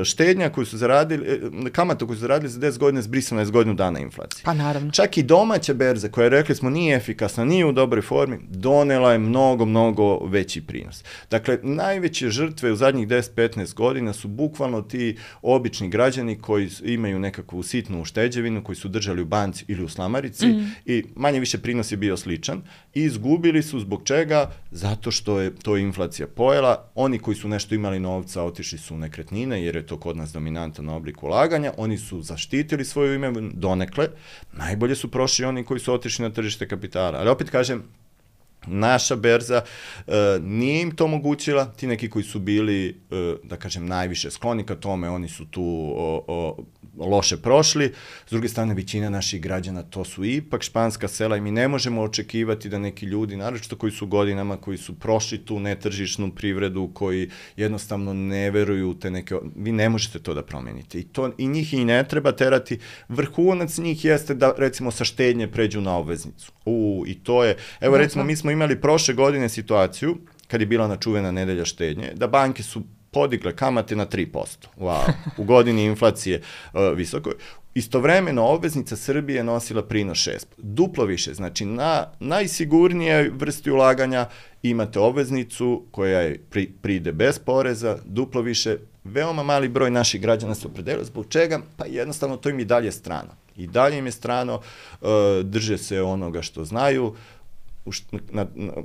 Štednja koju su zaradili, kamata koju su zaradili za 10 godina zbrisana je s godinu dana inflacije. Pa naravno. Čak i domaća berza koja, rekli smo, nije efikasna, nije u dobroj formi, donela je mnogo veći prinos. Dakle, najveće žrtve u zadnjih 10-15 godina su bukvalno ti obični građani koji imaju nekakvu sitnu ušteđevinu, koji su držali u banci ili u slamarici i manje više prinos je bio sličan i izgubili su zbog čega? Zato što je to inflacija pojela. Oni koji su nešto imali novca otišli su u nekretnine, jer je to kod nas dominantan oblik ulaganja, oni su zaštitili svoju ime donekle, najbolje su prošli oni koji su otišli na tržište kapitala. Ali opet kažem, naša berza nije im to omogućila, ti neki koji su bili, da kažem, najviše skloni ka tome, oni su tu loše prošli. S druge strane, većina naših građana, to su ipak španska sela i mi ne možemo očekivati da neki ljudi, naročito koji su godinama, koji su prošli tu netržišnu privredu, koji jednostavno ne veruju u te neke... Vi ne možete to da promenite. I njih i ne treba terati. Vrhunac njih jeste da, recimo, sa štednje pređu na obveznicu. I to je... Evo, recimo, mi smo imali prošle godine situaciju, kad je bila ona čuvena nedelja štednje, da banke su podigle kamate na 3%. Wow. U godini inflacije visoko. Istovremeno obveznica Srbije nosila prinos 6%. Duplo više. Znači, na najsigurnije vrsti ulaganja imate obveznicu koja pride bez poreza, duplo više. Veoma mali broj naših građana se opredelio. Zbog čega? Pa jednostavno to im i dalje strano. I dalje im je strano, drže se onoga što znaju.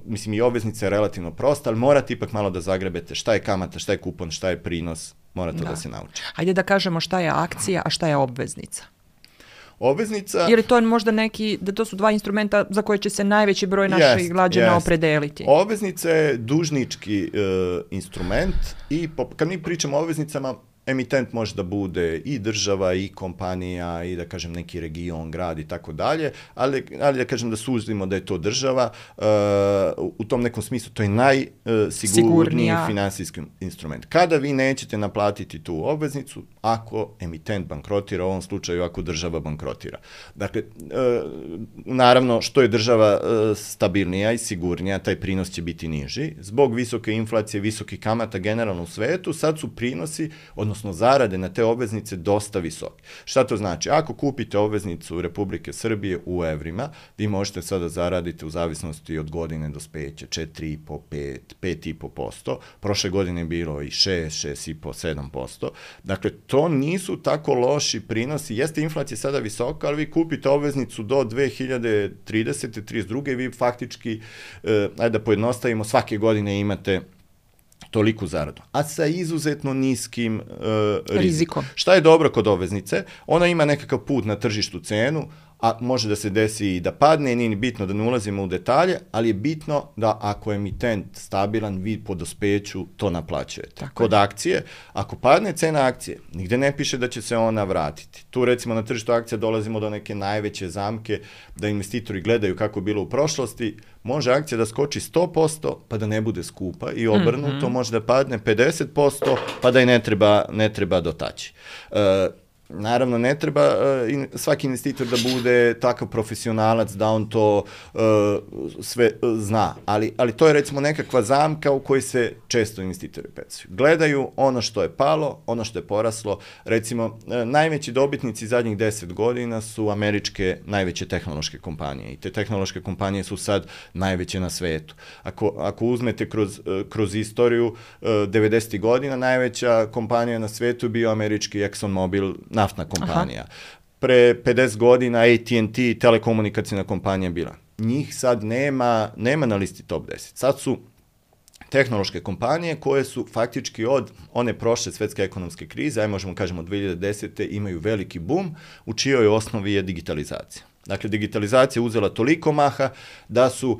Mislim, i obveznica je relativno prosta, ali morate ipak malo da zagrebete šta je kamata, šta je kupon, šta je prinos, mora to da se nauči. Hajde da kažemo šta je akcija, a šta je obveznica. Obveznica... Ili to je možda da to su dva instrumenta za koje će se najveći broj naših građana opredeliti. Obveznica je dužnički instrument i kad mi pričamo o obveznicama, emitent može da bude i država, i kompanija, i da kažem neki region, grad i tako dalje, ali da kažem da suzimo da je to država, u tom nekom smislu to je najsigurniji finansijski instrument. Kada vi nećete naplatiti tu obveznicu, ako emitent bankrotira, u ovom slučaju ako država bankrotira. Dakle, naravno, što je država stabilnija i sigurnija, taj prinos će biti niži. Zbog visoke inflacije, visokih kamata generalno u svetu, sad su prinosi, odnosno zarade na te obveznice dosta visoke. Šta to znači? Ako kupite obveznicu Republike Srbije u evrima, vi možete sada zaraditi u zavisnosti od godine dospeća 4,5, 5,5%. Prošle godine je bilo i 6,5, 7%. Dakle, to nisu tako loši prinosi. Jeste inflacija sada visoka, ali vi kupite obveznicu do 2030. 32. i vi faktički, ajde da pojednostavimo, svake godine imate toliku zaradu, a sa izuzetno niskim rizikom. Šta je dobro kod obveznice? Ona ima nekakav put na tržištu cenu, a može da se desi i da padne, nije ni bitno da ne ulazimo u detalje, ali je bitno da ako je emitent stabilan, vi po dospeću to naplaćujete. Kod akcije, ako padne cena akcije, nigde ne piše da će se ona vratiti. Tu recimo na tržištu akcija dolazimo do neke najveće zamke, da investitori gledaju kako je bilo u prošlosti, može akcija da skoči 100%, pa da ne bude skupa i obrnuto, može da padne 50%, pa da i ne treba dotaći. Naravno, ne treba svaki investitor da bude takav profesionalac da on to sve zna, ali to je recimo nekakva zamka u kojoj se često investitori pecaju. Gledaju ono što je palo, ono što je poraslo. Recimo, najveći dobitnici zadnjih 10 godina su američke najveće tehnološke kompanije i te tehnološke kompanije su sad najveće na svetu. Ako uzmete kroz istoriju 90. godina, najveća kompanija na svetu je bio američki ExxonMobil, naftna kompanija. Pre 50 godina AT&T, telekomunikacijna kompanija bila. njih sad nema na listi top 10. Sad su tehnološke kompanije koje su faktički od one prošle svetske ekonomske krize, možemo kažemo od 2010. imaju veliki boom, u čijoj osnovi je digitalizacija. Dakle, digitalizacija uzela toliko maha da su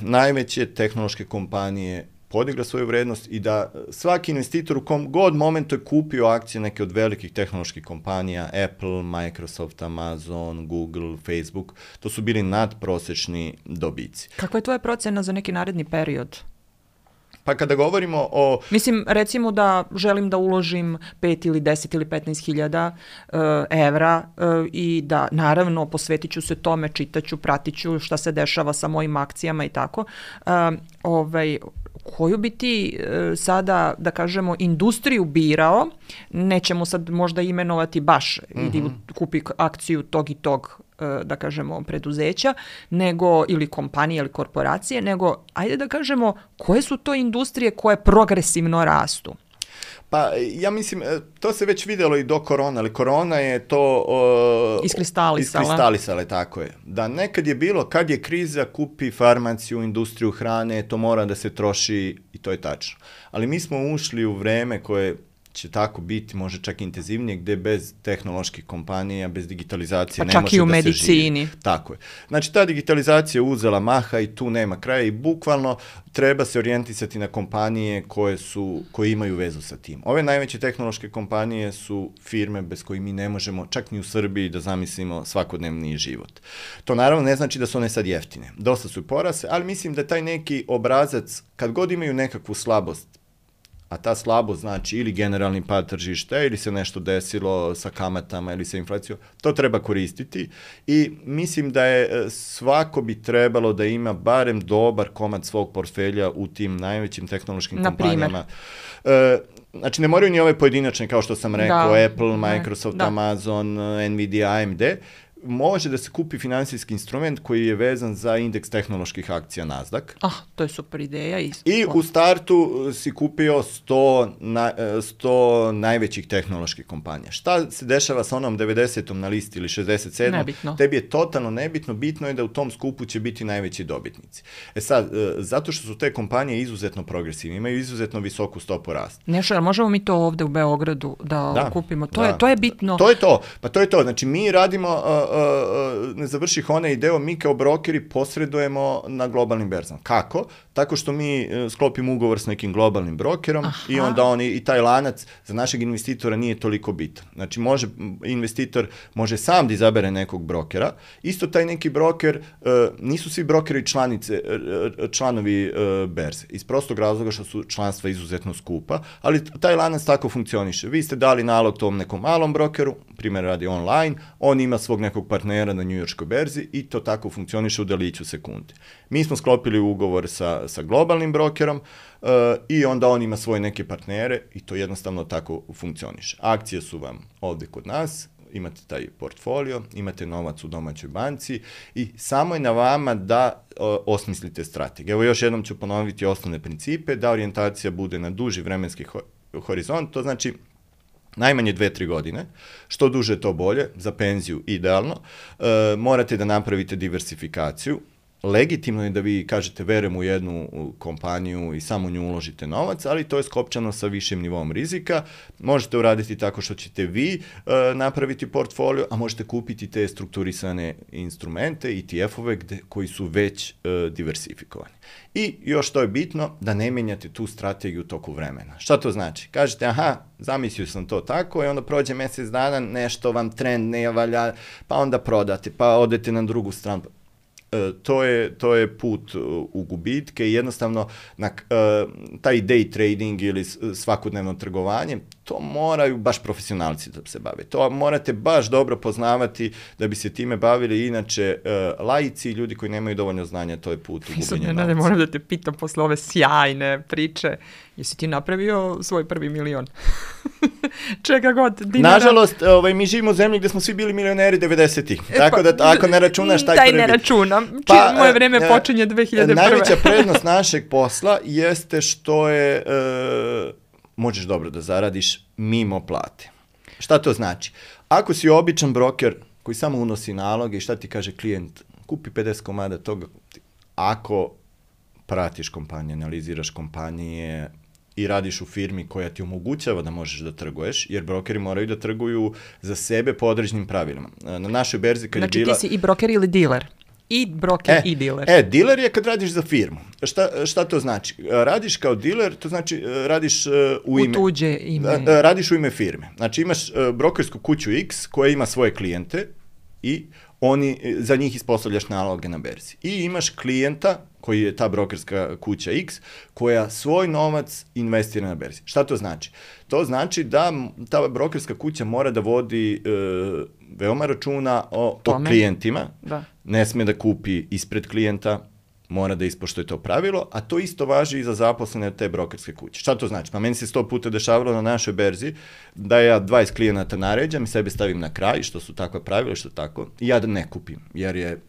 najveće tehnološke kompanije podigla svoju vrednost i da svaki investitor u kom god momentu je kupio akcije neke od velikih tehnoloških kompanija, Apple, Microsoft, Amazon, Google, Facebook, to su bili nadprosečni dobici. Kakva je tvoja procena za neki naredni period? Pa kada govorimo o... Mislim, recimo da želim da uložim 5 ili 10 ili 15 hiljada evra i da naravno posvetit ću se tome, čitaću, pratit ću šta se dešava sa mojim akcijama i tako. Koju bi ti sada, da kažemo, industriju birao, nećemo sad možda imenovati baš, idi kupi akciju tog i tog, da kažemo, preduzeća, nego, ili kompanije ili korporacije, nego, ajde da kažemo, koje su to industrije koje progresivno rastu? Pa ja mislim, to se već vidjelo i do korona, ali korona je to iskristalisala, tako je. Da nekad je bilo, kad je kriza, kupi farmaciju, industriju hrane, to mora da se troši i to je tačno. Ali mi smo ušli u vreme koje će tako biti, može čak intenzivnije, gde bez tehnoloških kompanija, bez digitalizacije ne može da se živi. Pa čak i u medicini. Tako je. Znači, ta digitalizacija uzela maha i tu nema kraja i bukvalno treba se orijentisati na kompanije koje imaju vezu sa tim. Ove najveće tehnološke kompanije su firme bez kojih mi ne možemo, čak ni u Srbiji, da zamislimo svakodnevni život. To naravno ne znači da su one sad jeftine. Dosta su i porasle, ali mislim da taj neki obrazac, kad god imaju nekakvu slabost, a ta slabost znači ili generalni pad tržišta, ili se nešto desilo sa kamatama ili sa inflacijom, to treba koristiti i mislim da je svako bi trebalo da ima barem dobar komad svog portfelja u tim najvećim tehnološkim kompanijama. Znači, ne moraju ni ove pojedinačne, kao što sam rekao, Apple, Microsoft, Amazon, Nvidia, AMD, može da se kupi finansijski instrument koji je vezan za indeks tehnoloških akcija Nasdaq. To je super ideja. I u startu si kupio 100 najvećih tehnoloških kompanija. Šta se dešava sa onom 90. na listi ili 67. Nebitno. Tebi je totalno nebitno, bitno je da u tom skupu će biti najveći dobitnici. Sad, zato što su te kompanije izuzetno progresivne, imaju izuzetno visoku stopu rasta. Nešto, ali možemo mi to ovde u Beogradu da kupimo? To je bitno. To je to. Pa to je to. Znači, mi radimo... ne završih onaj deo, mi kao brokeri posredujemo na globalnim berzama. Kako? Tako što mi sklopimo ugovor s nekim globalnim brokerom i onda i taj lanac za našeg investitora nije toliko bitan. Znači, investitor može sam da izabere nekog brokera. Isto taj neki broker, nisu svi brokeri članovi berze. Iz prostog razloga što su članstva izuzetno skupa, ali taj lanac tako funkcioniše. Vi ste dali nalog tom nekom malom brokeru, primjer radi online, on ima svog nekog partnera na njujorškoj berzi i to tako funkcioniše u deliću sekunde. Mi smo sklopili ugovor sa globalnim brokerom i onda on ima svoje neke partnere i to jednostavno tako funkcioniše. Akcije su vam ovde kod nas, imate taj portfolio, imate novac u domaćoj banci i samo je na vama da osmislite strategiju. Evo još jednom ću ponoviti osnovne principe, da orijentacija bude na duži vremenski horizont, to znači najmanje 2-3 godine, što duže to bolje, za penziju idealno, morate da napravite diversifikaciju, legitimno je da vi kažete verujem u jednu kompaniju i samo u nju uložite novac, ali to je skopčano sa višim nivom rizika. Možete uraditi tako što ćete vi napraviti portfolio, a možete kupiti te strukturisane instrumente, ETF-ove koji su već diversifikovani. I još to je bitno, da ne menjate tu strategiju u toku vremena. Šta to znači? Kažete, zamislio sam to tako i onda prođe mesec dana, nešto vam trend ne valja, pa onda prodate, pa odete na drugu stranu. To je put u gubitke i jednostavno taj day trading ili svakodnevno trgovanje, to moraju baš profesionalci da se bave. To morate baš dobro poznavati da bi se time bavili, inače laici, ljudi koji nemaju dovoljno znanja, to je put u gubljenje novca. Moram da te pitam posle ove sjajne priče, jesi ti napravio svoj prvi milion? Čega god, dinara? Nažalost, mi živimo u zemlji gde smo svi bili milioneri 90-ih, tako da ako ne računaš taj prvi... Taj ne računam, moje vreme počinje 2001. Najveća prednost našeg posla jeste što je... možeš dobro da zaradiš mimo plate. Šta to znači? Ako si običan broker koji samo unosi naloge i šta ti kaže klijent, skupi 50 komada toga. Ako pratiš kompanije, analiziraš kompanije i radiš u firmi koja ti omogućava da možeš da trguješ, jer brokeri moraju da trguju za sebe po određenim pravilima. Na našoj berzi kad je bila... Znači ti si i broker ili diler? I broker i diler. Diler je kad radiš za firmu. Šta to znači? Radiš kao diler, to znači radiš u tuđe ime. Radiš u ime firme. Znači imaš brokersku kuću X koja ima svoje klijente i za njih ispostavljaš naloge na berzi. I imaš klijenta koji je ta brokerska kuća X, koja svoj novac investira na berzi. Šta to znači? To znači da ta brokerska kuća mora da vodi veoma računa o klijentima, ne smije da kupi ispred klijenta, mora da ispoštuje to pravilo, a to isto važi i za zaposlene te brokerske kuće. Šta to znači? Pa meni se 100 puta dešavalo na našoj berzi da ja 20 klijenata naređam i sebe stavim na kraj, što su takva pravila, što tako, i ja da ne kupim, jer je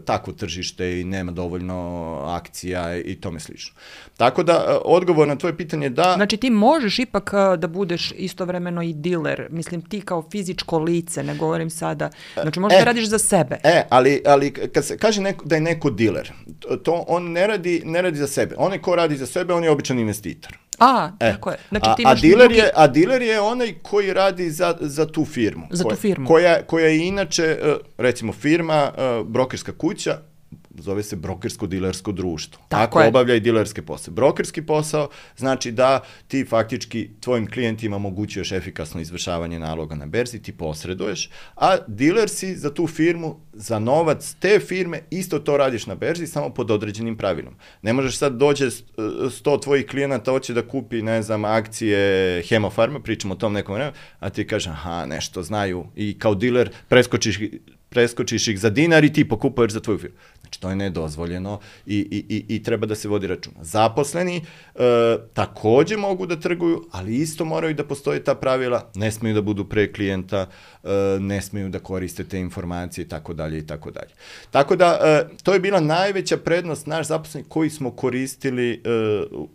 takvo tržište i nema dovoljno akcija i tome slično. Tako da, odgovor na tvoje pitanje da... Znači ti možeš ipak da budeš istovremeno i diler, mislim ti kao fizičko lice, ne govorim sada, znači možeš da radiš za sebe. Ali kad se kaže da je neko diler, to on ne radi za sebe. Onaj ko radi za sebe, on je običan investitor. Tako je. Znači, a diler je onaj koji radi za tu firmu. Za tu firmu. Koja je inače, recimo, firma, brokerska kuća, zove se brokersko-dilersko društvo. Tako obavlja i dilerske posle. Brokerski posao znači da ti faktički tvojim klijentima omogućuješ efikasno izvršavanje naloga na berzi, ti posreduješ, a diler si za tu firmu, za novac te firme, isto to radiš na berzi, samo pod određenim pravilom. Ne možeš sad dođe 100 tvojih klijenata, hoće da kupi, ne znam, akcije Hemofarma, pričamo o tom nekom vremenu, a ti kažeš, nešto znaju i kao diler preskočiš ih za dinar i ti pokupuješ za tvoju firmu. Znači, to je nedozvoljeno i treba da se vodi računa. Zaposleni takođe mogu da trguju, ali isto moraju da postoje ta pravila, ne smeju da budu pre klijenta, ne smeju da koriste te informacije i tako dalje i tako dalje. Tako da, to je bila najveća prednost naš zaposleni koji smo koristili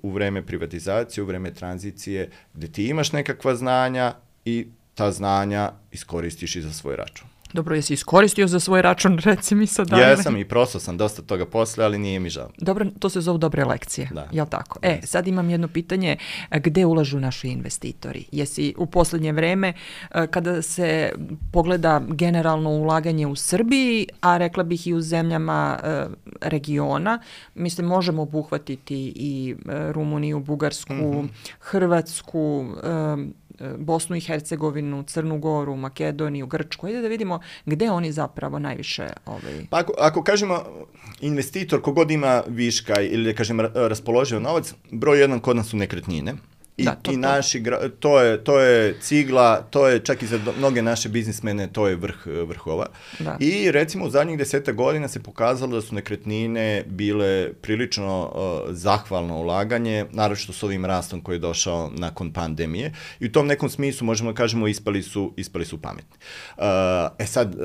u vreme privatizacije, u vreme tranzicije, gde ti imaš nekakva znanja i ta znanja iskoristiš i za svoj račun. Dobro, jesi iskoristio za svoj račun, reci mi sad. Jesam i prosao sam dosta toga posle, ali nije mi žao. Dobro, to se zove dobre lekcije, jel tako? Sad imam jedno pitanje, gde ulažu naši investitori? Jesi u poslednje vreme, kada se pogleda generalno ulaganje u Srbiji, a rekla bih i u zemljama regiona, mislim, možemo obuhvatiti i Rumuniju, Bugarsku, Hrvatsku, Bosnu i Hercegovinu, Crnu Goru, Makedoniju, Grčku. Ajde da vidimo gde oni zapravo najviše... Pa ako kažemo investitor, kogod ima viška ili da kažem raspoloživ novac, broj jedan kod nas su nekretnine. To je cigla, to je čak i za mnoge naše biznismene, to je vrhova. I recimo u zadnjih 10 godina se pokazalo da su nekretnine bile prilično zahvalno ulaganje, naročito s ovim rastom koji je došao nakon pandemije. I u tom nekom smislu možemo da kažemo ispali su pametni. Sad,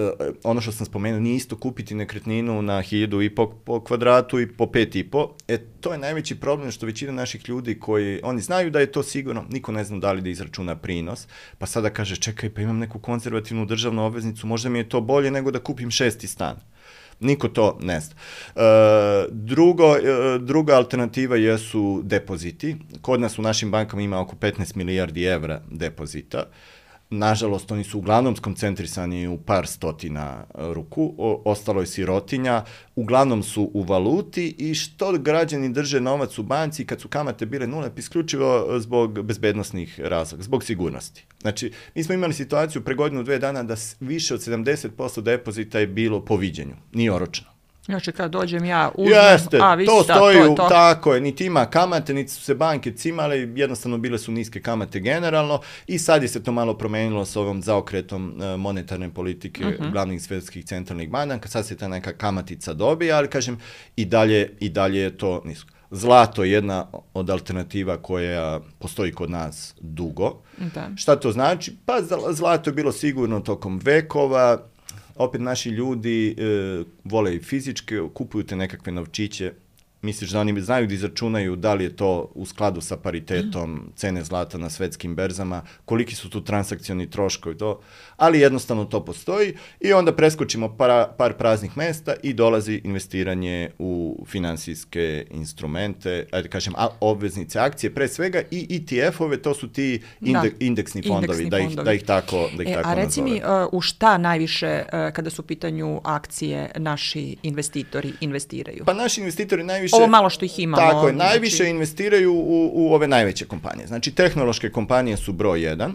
ono što sam spomenuo, nije isto kupiti nekretninu na 1.500 po kvadratu i po 5.500. To je najveći problem što većina naših ljudi oni znaju da je to sigurno, niko ne zna da li da izračuna prinos, pa sada kaže čekaj, pa imam neku konzervativnu državnu obveznicu, možda mi je to bolje nego da kupim 6. stan. Niko to ne zna. Druga alternativa jesu depoziti. Kod nas u našim bankama ima oko 15 milijardi evra depozita. Nažalost, oni su uglavnom skoncentrisani u par stotina ruku, ostalo je sirotinja, uglavnom su u valuti i što građani drže novac u banci kad su kamate bile nule, isključivo zbog bezbednosnih razloga, zbog sigurnosti. Znači, mi smo imali situaciju pre godinu, 2 dana da više od 70% depozita je bilo po viđenju, nije oročeno. Znači, kad dođem ja uzmem, to stoji, tako je, niti ima kamate, niti su se banke cimale, jednostavno bile su niske kamate generalno i sad je se to malo promenilo s ovom zaokretom monetarne politike glavnih svetskih centralnih banaka, sad se ta neka kamatica dobija, ali kažem, i dalje je to nisko. Zlato je jedna od alternativa koja postoji kod nas dugo. Šta to znači? Pa zlato je bilo sigurno tokom vekova. Opet naši ljudi vole i fizičke, kupuju te nekakve novčiće. misliš da oni znaju da izračunaju da li je to u skladu sa paritetom cene zlata na svetskim berzama, koliki su tu transakcioni troškovi, ali jednostavno to postoji i onda preskočimo par praznih mesta i dolazi investiranje u finansijske instrumente, ajde kažem, obveznice, akcije, pre svega i ETF-ove, to su ti indeksni fondovi, da ih tako nazove. A reci mi, u šta najviše, kada su u pitanju akcije, naši investitori investiraju? Pa naši investitori najviše... Ovo malo što ih imamo. Tako je, najviše investiraju u ove najveće kompanije. Znači, tehnološke kompanije su broj 1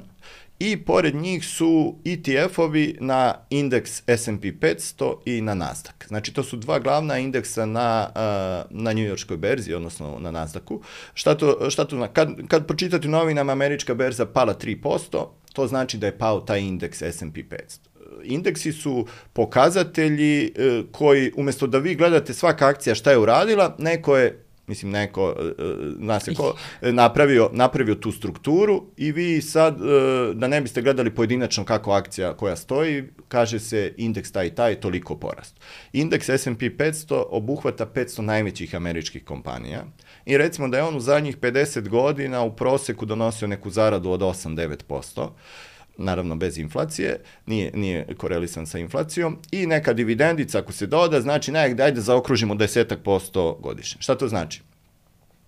i pored njih su ETF-ovi na indeks S&P 500 i na Nasdaq. Znači, to su dva glavna indeksa na njujorškoj berzi, odnosno na Nasdaqu. Šta to kad pročitate u novinama američka berza pala 3%, to znači da je pao taj indeks S&P 500. Indeksi su pokazatelji koji, umjesto da vi gledate svaka akcija šta je uradila, neko, zna se ko, napravio tu strukturu i vi sad, da ne biste gledali pojedinačno kako akcija koja stoji, kaže se indeks taj toliko porast. Indeks S&P 500 obuhvata 500 najvećih američkih kompanija i recimo da je on u zadnjih 50 godina u proseku donosio neku zaradu od 8-9%, naravno bez inflacije, nije korelisan sa inflacijom, i neka dividendica ako se doda, znači ajde zaokružimo 10% godišnje. Šta to znači?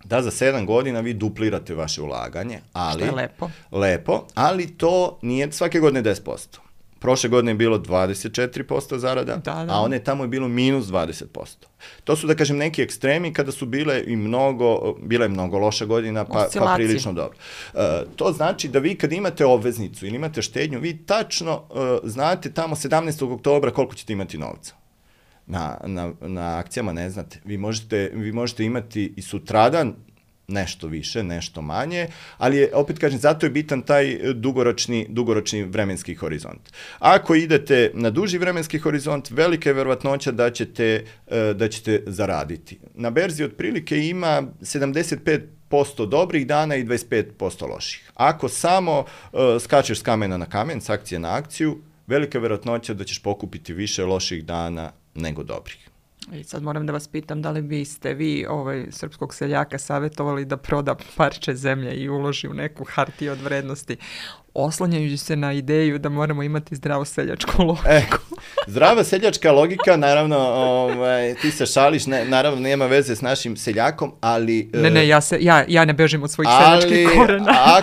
Da za 7 godina vi duplirate vaše ulaganje, ali... Što je lepo. Lepo, ali to nije svake godine 10%. Prošle godine je bilo 24% zarada, a one tamo je bilo minus 20%. To su, da kažem, neki ekstremi kada su bila je mnogo loša godina, pa prilično dobro. To znači da vi kad imate obveznicu ili imate štednju, vi tačno znate tamo 17. oktobra koliko ćete imati novca. Na akcijama ne znate. Vi možete imati i sutradan nešto više, nešto manje, ali je, opet kažem, zato je bitan taj dugoročni vremenski horizont. Ako idete na duži vremenski horizont, velika je verovatnoća da ćete zaraditi. Na berzi otprilike ima 75% dobrih dana i 25% loših. Ako samo skačeš s kamena na kamen, s akcije na akciju, velika je verovatnoća da ćeš pokupiti više loših dana nego dobrih. I sad moram da vas pitam, da li biste vi srpskog seljaka savjetovali da proda parče zemlje i uloži u neku hartiju od vrednosti, oslanjajući se na ideju da moramo imati zdravu seljačku logiku? Zdrava seljačka logika, naravno, ti se šališ, naravno nema veze s našim seljakom, ali... Ne, ja ne bežim od svojih seljačkih korena.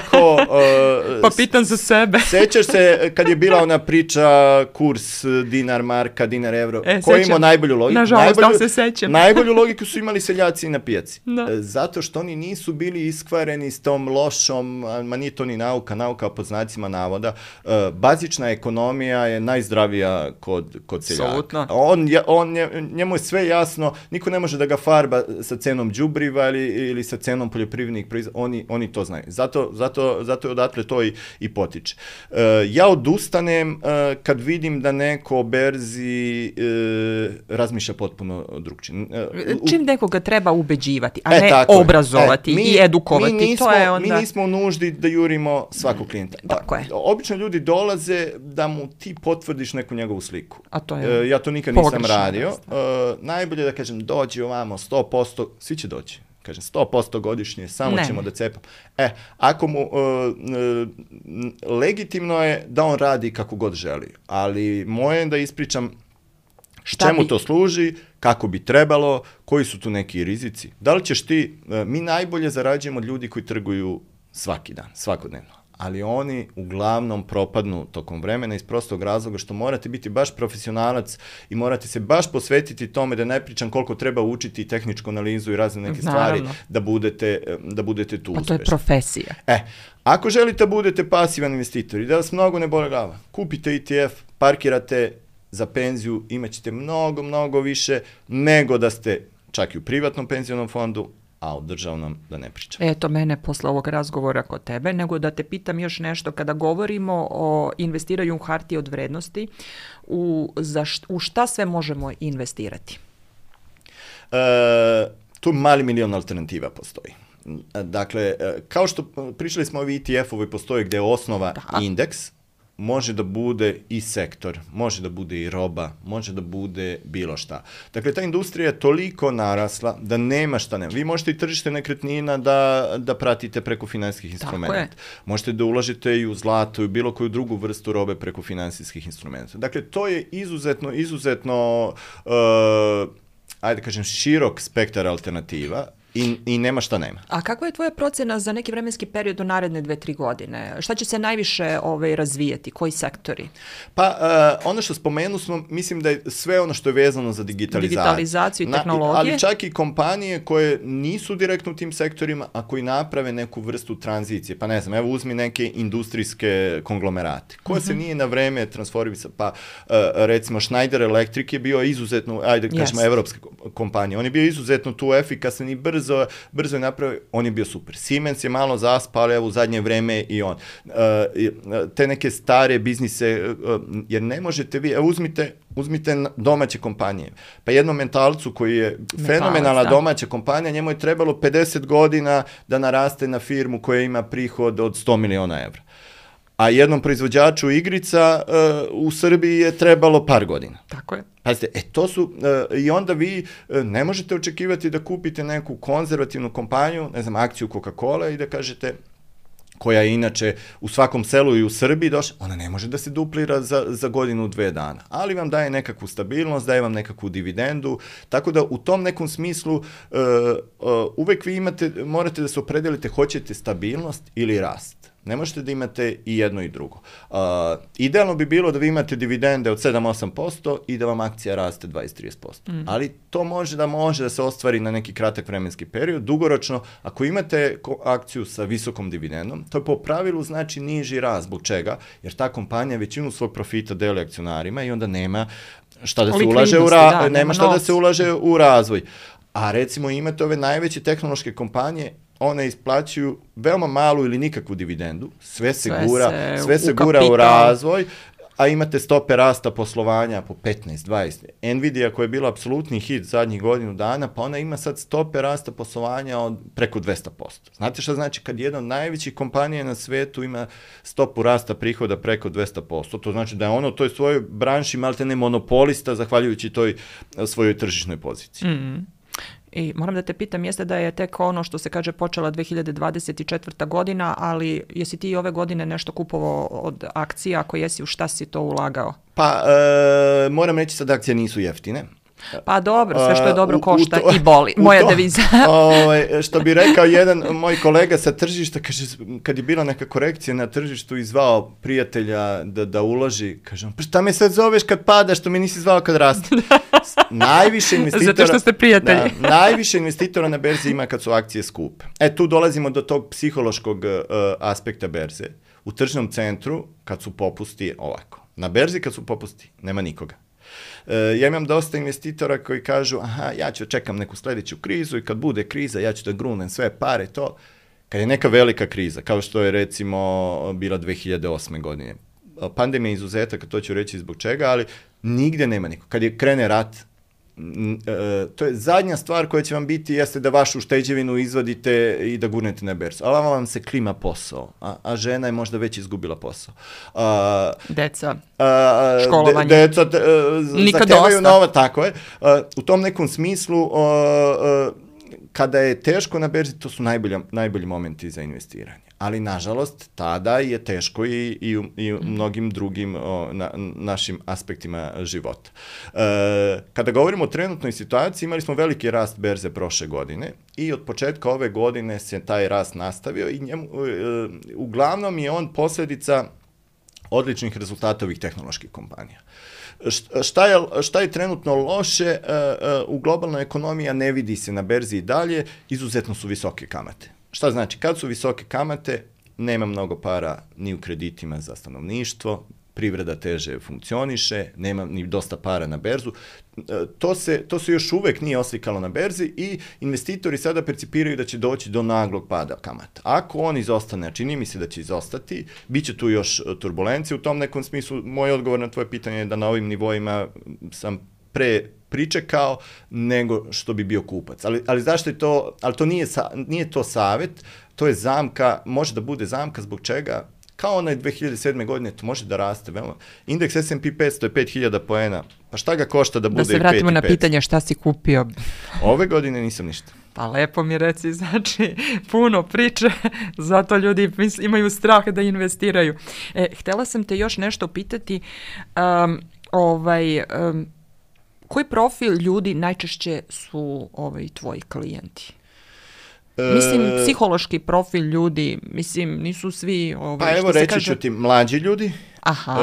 Pa pitam za sebe. Sećaš se kad je bila ona priča kurs dinar, marka, dinar, evro, ko je imao najbolju logiku? Nažalost, da se sećam. Najbolju logiku su imali seljaci na pijaci. Zato što oni nisu bili iskvareni s tom lošom, ma nije to ni nauka po znacima navoda. Bazična ekonomija je najzdravija kod seljaka. Njemu je sve jasno, niko ne može da ga farba sa cenom đubriva ili sa cenom poljoprivrednih proizvoda, oni to znaju. Zato je odatle to i potiče. Ja odustanem kad vidim da neko o berzi razmišlja potpuno drugčije. Čim nekoga treba ubeđivati, a ne obrazovati i edukovati. Mi nismo u nuždi da jurimo svakog klijenta. Obično ljudi dolaze da mu ti potvrdiš neku njegovu sliku. Ja to nikad nisam radio. Najbolje da kažem, dođi ovamo 100%, svi će doći. Kažem, 100% godišnje, samo ćemo da cepam. Ako mu legitimno je da on radi kako god želi, ali moje je da ispričam čemu to služi, kako bi trebalo, koji su tu neki rizici. Da li ćeš ti, mi najbolje zarađujemo od ljudi koji trguju svaki dan, svakodnevno, ali oni uglavnom propadnu tokom vremena iz prostog razloga što morate biti baš profesionalac i morate se baš posvetiti tome, da ne pričam koliko treba učiti tehničku analizu i razne neke stvari da budete tu uspešni. Pa to je profesija. Ako želite da budete pasivan investitor i da vas mnogo ne bole glava, kupite ETF, parkirate za penziju, imat ćete mnogo više nego da ste čak i u privatnom penzionom fondu, a o državnom da ne pričam. Eto mene posle ovog razgovora kod tebe, nego da te pitam još nešto. Kada govorimo o investiranju u hartije od vrednosti, u šta sve možemo investirati? Tu mali milion alternativa postoji. Dakle, kao što pričali smo ovi ETF-ovi postoje gde je osnova indeks, može da bude i sektor, može da bude i roba, može da bude bilo šta. Dakle, ta industrija je toliko narasla da nema šta nema. Vi možete i tržište nekretnina da pratite preko finansijskih instrumenta. Možete da ulažete i u zlato i bilo koju drugu vrstu robe preko finansijskih instrumenta. Dakle, to je izuzetno ajde kažem, širok spektar alternativa i nema šta nema. A kakva je tvoja procena za neki vremenski period u naredne 2-3 godine? Šta će se najviše razvijeti? Koji sektori? Pa, ono što spomenu smo, mislim da je sve ono što je vezano za digitalizaciju i tehnologije. Ali čak i kompanije koje nisu direktno u tim sektorima, a koji naprave neku vrstu tranzicije. Pa ne znam, evo uzmi neke industrijske konglomerate, koje se nije na vreme transformisao. Pa, recimo, Schneider Electric je bio izuzetno, ajde kažemo, evropska kompanija. On je bio izuzetno tu efikasan i brzo je napravio, on je bio super. Siemens je malo zaspao, ali evo u zadnje vreme i on. Te neke stare biznise, jer ne možete vi, uzmite domaće kompanije. Pa jednom Mentalcu koji je fenomenalna domaća kompanija, njemu je trebalo 50 godina da naraste na firmu koja ima prihod od 100 miliona evra. A jednom proizvođaču igrica u Srbiji je trebalo par godina. Tako je. Pazite, to su, i onda vi ne možete očekivati da kupite neku konzervativnu kompaniju, ne znam, akciju Coca-Cola i da kažete, koja je inače u svakom selu i u Srbiji došla, ona ne može da se duplira za godinu, 2 dana, ali vam daje nekakvu stabilnost, daje vam nekakvu dividendu, tako da u tom nekom smislu uvek vi morate da se opredelite, hoćete stabilnost ili rast. Ne možete da imate i jedno i drugo. Idealno bi bilo da vi imate dividende od 7-8% i da vam akcija raste 20-30%. Ali to može da se ostvari na neki kratak vremenski period. Dugoročno, ako imate akciju sa visokom dividendom, to je po pravilu znači niži rast. Zbog čega? Jer ta kompanija većinu svog profita deli akcionarima i onda nema šta da se ulaže da se ulaže u razvoj. A recimo imate ove najveće tehnološke kompanije, one isplaćuju veoma malu ili nikakvu dividendu, sve se gura u razvoj, a imate stope rasta poslovanja po 15-20. Nvidia koja je bila apsolutni hit zadnjih godinu dana, pa ona ima sad stope rasta poslovanja od preko 200%. Znate šta znači kad jedna od najvećih kompanija na svetu ima stopu rasta prihoda preko 200%? To znači da je ono u toj svojoj branši maltene monopolista zahvaljujući toj svojoj tržišnoj poziciji. I moram da te pitam, jeste da je tek ono što se kaže počela 2024. godina, ali jesi ti ove godine nešto kupovao od akcija, ako jesi, u šta si to ulagao? Pa, moram reći sad da akcije nisu jeftine. Pa dobro, sve što je dobro košta i boli, moja deviza. Što bi rekao jedan moj kolega sa tržišta, kaže, kad je bila neka korekcija na tržištu i zvao prijatelja da uloži, kaže on, pa šta me sad zoveš kad pada, što me nisi zvao kad raste? Najviše investitora, zato što ste prijatelji. Najviše investitora na berzi ima kad su akcije skupe. Tu dolazimo do tog psihološkog aspekta berze. U tržnom centru, kad su popusti, ovako. Na berzi kad su popusti, nema nikoga. Ja imam dosta investitora koji kažu, ja ću čekam neku sljedeću krizu i kad bude kriza ja ću da grunem sve pare, to. Kad je neka velika kriza, kao što je recimo bila 2008. godine. Pandemija je izuzetak, to ću reći zbog čega, ali nigde nema niko. Kad je krene rat, to je zadnja stvar koja će vam biti jeste da vašu ušteđevinu izvadite i da gurnete na berzu. Ali vam se klima posao, a žena je možda već izgubila posao. Deca, školovanje. Deca zahtevaju nova, tako je. U tom nekom smislu, kada je teško na berzi, to su najbolji momenti za investiranje. Ali, nažalost, tada je teško i u mnogim drugim našim aspektima života. Kada govorimo o trenutnoj situaciji, imali smo veliki rast berze prošle godine i od početka ove godine se taj rast nastavio i uglavnom je on posljedica odličnih rezultata ovih tehnoloških kompanija. Šta je trenutno loše u globalnoj ekonomiji, a ne vidi se na berzi i dalje, izuzetno su visoke kamate. Šta znači? Kad su visoke kamate, nema mnogo para ni u kreditima za stanovništvo, privreda teže funkcioniše, nema ni dosta para na berzu. To se još uvek nije oslikalo na berzi i investitori sada percipiraju da će doći do naglog pada kamata. Ako on izostane, a čini mi se da će izostati, bit će tu još turbulencije. U tom nekom smislu, moj odgovor na tvoje pitanje je da na ovim nivoima sam pričekao nego što bi bio kupac. Ali zašto je to, ali to nije to savet, to je zamka, može da bude zamka zbog čega kao onaj 2007. godine, to može da raste. Indeks S&P 500 je 5000 poena. Pa šta ga košta da bude i 5.500? Da se vratimo na pitanje šta si kupio. Ove godine nisam ništa. Pa lepo mi reci, znači puno priče, zato ljudi imaju strah da investiraju. Htjela sam te još nešto pitati, koji profil ljudi najčešće su tvoji klijenti? Mislim, psihološki profil ljudi, mislim, nisu svi... pa evo reći ću ti, mlađi ljudi. Aha,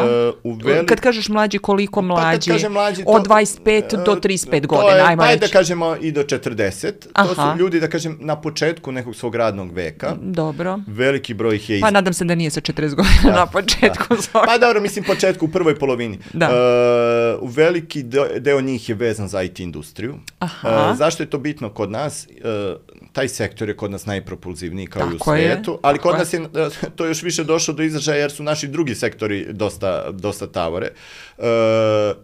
kad kažeš mlađi, koliko mlađi? Mlađi od 25 do 35 godina, ajmo reći. Pa da kažemo i do 40. To su ljudi, da kažem, na početku nekog svog radnog veka. Dobro. Veliki broj ih je... Pa nadam se da nije sa 40 godina na početku. Pa dobro, mislim, početku, u prvoj polovini. Veliki deo njih je vezan za IT industriju. Zašto je to bitno kod nas? Taj sektor je kod nas najpropulzivniji kao i u svijetu, ali kod nas je to još više došlo do izražaja jer su naši drugi sektori dosta tavore.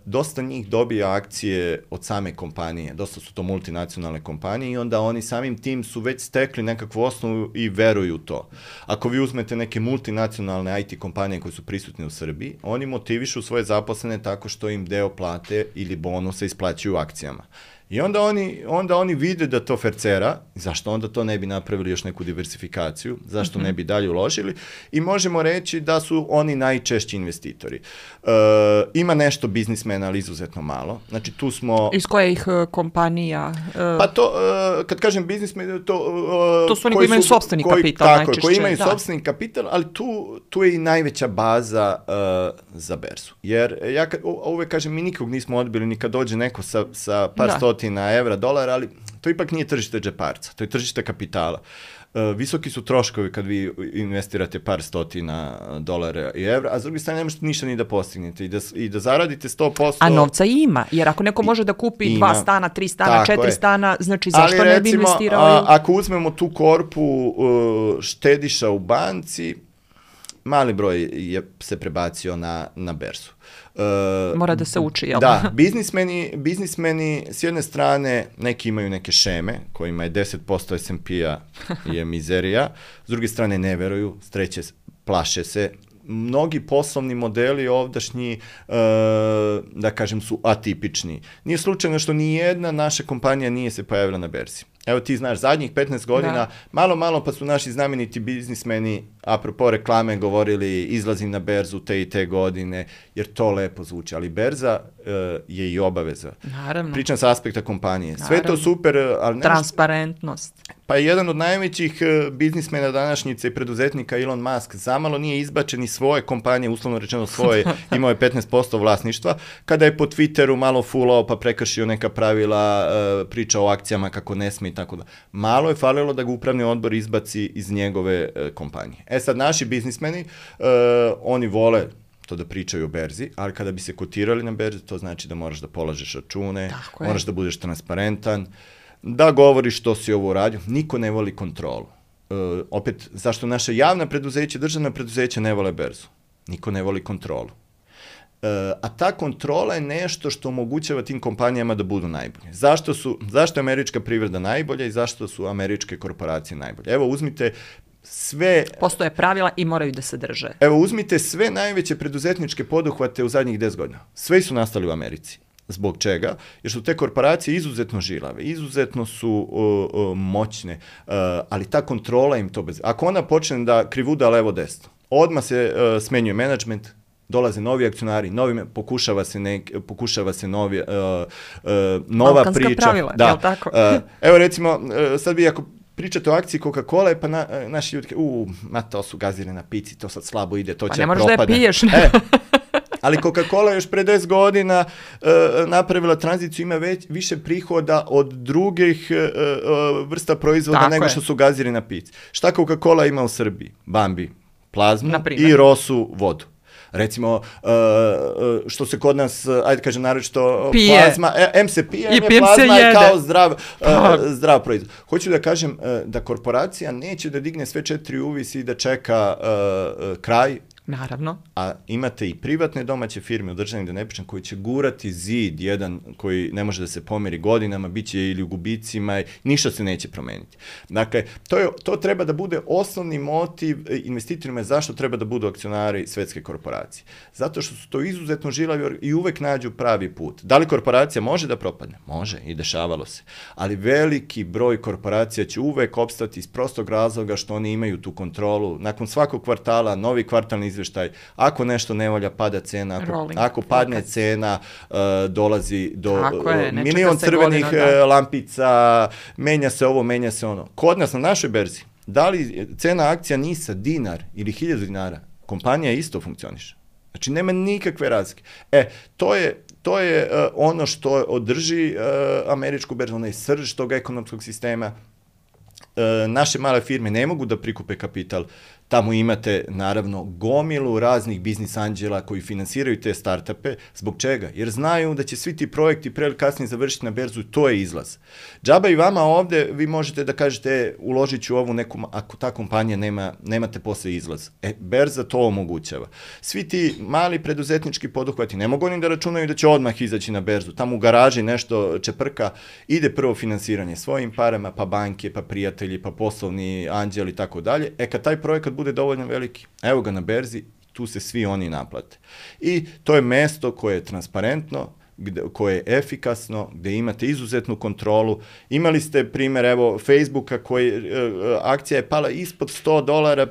Dosta njih dobija akcije od same kompanije, dosta su to multinacionalne kompanije i onda oni samim tim su već stekli nekakvu osnovu i veruju to. Ako vi uzmete neke multinacionalne IT kompanije koje su prisutne u Srbiji, oni motivišu svoje zaposlene tako što im deo plate ili bonusa isplaćuju akcijama. I onda oni vide da to fercera, zašto onda to ne bi napravili još neku diversifikaciju, zašto ne bi dalje uložili i možemo reći da su oni najčešći investitori. Ima nešto biznismena, ali izuzetno malo. Znači tu smo... Iz kojih kompanija? Pa to, kad kažem biznismen, to su oni koji imaju sopstveni kapital najčešće. Tako, koji imaju sopstveni kapital, ali tu je i najveća baza za berzu. Jer ja uvek kažem, mi nikog nismo odbili ni kad dođe neko sa par stotina evra, dolara, ali to ipak nije tržište džeparca, to je tržište kapitala. Visoki su troškovi kad vi investirate par stotina dolara i evra, a s druge strane ne možete ništa ni da postignete i da zaradite 100%. A novca ima, jer ako neko može da kupi 2 stana, 3 stana, 4 stana, znači zašto ali, ne bi investirao? Ako uzmemo tu korpu štediša u banci, mali broj se prebacio na berzu. Mora da se uči, jel? Da, biznismeni s jedne strane neki imaju neke šeme kojima je 10% S&P-a je mizerija, s druge strane ne veruju, s treće plaše se. Mnogi poslovni modeli ovdašnji, da kažem, su atipični. Nije slučajno što ni jedna naša kompanija nije se pojavila na berzi. Evo ti znaš, zadnjih 15 godina, malo pa su naši znameniti biznismeni, apropo reklame, govorili izlazim na berzu te i te godine, jer to lepo zvuči, ali berza je i obaveza. Naravno. Pričam sa aspekta kompanije. Naravno. Sve to super, ali... Transparentnost. Pa jedan od najvećih biznismena današnjice i preduzetnika Elon Musk zamalo nije izbačen iz svoje kompanije, uslovno rečeno svoje, imao je 15% vlasništva, kada je po Twitteru malo fulao pa prekršio neka pravila, priča o akcijama kako ne sme i tako da. Malo je falilo da ga upravni odbor izbaci iz njegove kompanije. Sad, naši biznismeni, oni vole to da pričaju o berzi, ali kada bi se kotirali na berzi, to znači da moraš da polažeš račune, moraš da budeš transparentan, da govoriš što si ovo uradio. Niko ne voli kontrolu. Opet, zašto naše javna preduzeća, državna preduzeća ne vole berzu? Niko ne voli kontrolu. A ta kontrola je nešto što omogućava tim kompanijama da budu najbolje. Zašto je američka privreda najbolja i zašto su američke korporacije najbolje? Evo, uzmite sve... Postoje pravila i moraju da se drže. Evo, uzmite sve najveće preduzetničke poduhvate u zadnjih 10 godina. Sve su nastali u Americi. Zbog čega? Jer su te korporacije izuzetno žilave, izuzetno su moćne, ali ta kontrola im to bez... Ako ona počne da krivuda levo-desno, odmah se smenjuje menadžment, dolaze novi akcionari, pokušava se nova Balkanska priča. Pravila, jel tako? Evo recimo, sad vi ako pričate o akciji Coca-Cola, pa naši ljudi to su gazire na pici, to sad slabo ide, to će propadne. Pa ne možeš da je piješ. Ali Coca-Cola još pre 10 godina napravila tranziciju, ima više prihoda od drugih vrsta proizvoda nego što su gaziri na pici. Šta Coca-Cola ima u Srbiji? Bambi, plazmu i Rosu vodu. Recimo, što se kod nas, ajde kažem naročito, plazma, se pije, plazma je kao zdrav proizvod. Hoću da kažem da korporacija neće da digne sve 4 uvisi i da čeka kraj, Naravno. A imate i privatne domaće firme u državnim, da ne pričam, koji će gurati zid jedan koji ne može da se pomeri godinama, bit će ili u gubicima, ništa se neće promeniti. Dakle, to treba da bude osnovni motiv investitorima zašto treba da budu akcionari svetske korporacije. Zato što su to izuzetno žilavi i uvek nađu pravi put. Da li korporacija može da propadne? Može, i dešavalo se. Ali veliki broj korporacija će uvek opstati iz prostog razloga što oni imaju tu kontrolu. Nakon svakog kvartala, novi kvartalni izveštaj, ako nešto ne valja, pada cena, ako padne cena, dolazi do milion crvenih lampica, menja se ovo, menja se ono. Kod nas na našoj berzi, da li cena akcija NIS-a dinar ili 1000 dinara, kompanija isto funkcioniše. Znači, nema nikakve razlike. To je ono što održi američku berzu, onaj srž tog ekonomskog sistema. Naše male firme ne mogu da prikupe kapital. Tamo imate, naravno, gomilu raznih biznis anđela koji finansiraju te startupe. Zbog čega? Jer znaju da će svi ti projekti pre ili kasnije završiti na berzu i to je izlaz. Džaba i vama ovde, vi možete da kažete uložit ću ovu neku, ako ta kompanija nemate posle izlaz. Berza to omogućava. Svi ti mali preduzetnički poduhvati ne mogu oni da računaju da će odmah izaći na berzu. Tamo u garaži nešto čeprka, ide prvo finansiranje svojim parama, pa banke, pa prijatelji, pa poslovni anđeli i tako dalje. Kad taj projekat bude dovoljno veliki, evo ga na berzi, tu se svi oni naplate. I to je mesto koje je transparentno, koje je efikasno, gde imate izuzetnu kontrolu. Imali ste primer, evo, Facebooka, akcija je pala ispod $100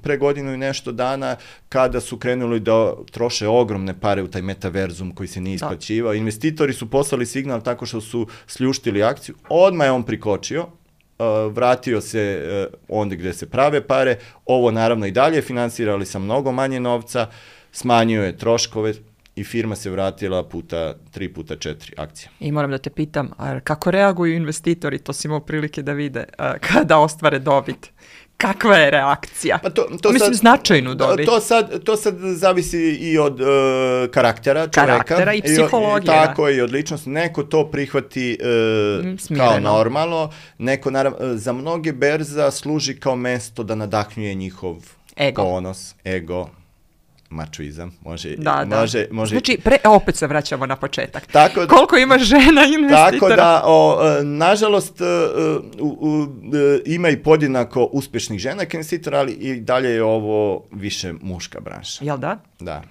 pre godinu i nešto dana, kada su krenuli da troše ogromne pare u taj metaverzum koji se nije isplaćivao. Investitori su poslali signal tako što su sljuštili akciju, odmah je on prikočio, vratio se onda gde se prave pare, ovo naravno i dalje finansirali sa mnogo manje novca, smanjio je troškove i firma se vratila 3 puta 4 akcija. I moram da te pitam, kako reaguju investitori, to si imao prilike da vide, kada ostvare dobit? Kakva je reakcija? Mislim, značajnu dobit. To sad zavisi i od karaktera čoveka. Karaktera i psihologije. Tako i od ličnosti. Neko to prihvati kao normalno. Neko, naravno, za mnoge berza služi kao mesto da nadahnjuje njihov ponos, ego, mačuizam, može. Znači, opet se vraćamo na početak. Koliko ima žena investitora? Tako da, nažalost, ima i podjednako uspešnih žena investitora, ali i dalje je ovo više muška branša. Jel da? Da.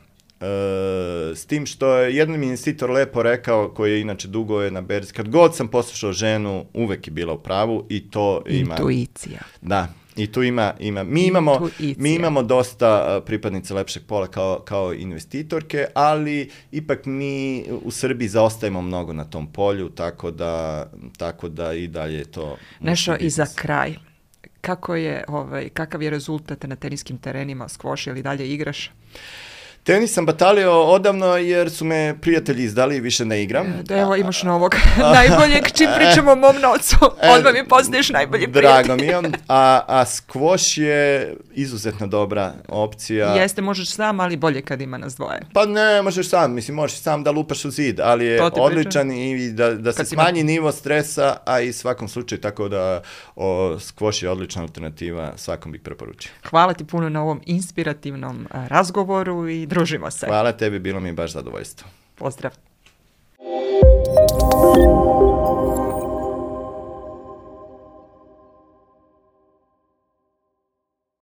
S tim što je jedan investitor lepo rekao, koji je inače dugo je na berzi, kad god sam poslušao ženu, uvek je bila u pravu i to ima... Intuicija. Da. I tu ima. Mi imamo dosta pripadnice lepšeg pola kao investitorke, ali ipak mi u Srbiji zaostajemo mnogo na tom polju, tako da i dalje to... Nešto i za kraj. Kakav je rezultat na teniskim terenima? Skvoš ili dalje igraš? Tenis sam batalio odavno jer su me prijatelji izdali i više ne igram. Evo imaš novog najboljeg, čim pričamo o mom novcu, odmah mi postaješ najbolji prijatelj. Drago mi je, a skvoš je izuzetno dobra opcija. Jeste, možeš sam, ali bolje kad ima nas dvoje. Pa ne, možeš sam, možeš sam da lupaš u zid, ali je odličan i da se smanji nivo stresa, a i svakom slučaju tako da skvoš je odlična alternativa, svakom bih preporučio. Hvala ti puno na ovom inspirativnom razgovoru i družimo se. Hvala tebi, bilo mi je baš zadovoljstvo. Pozdrav.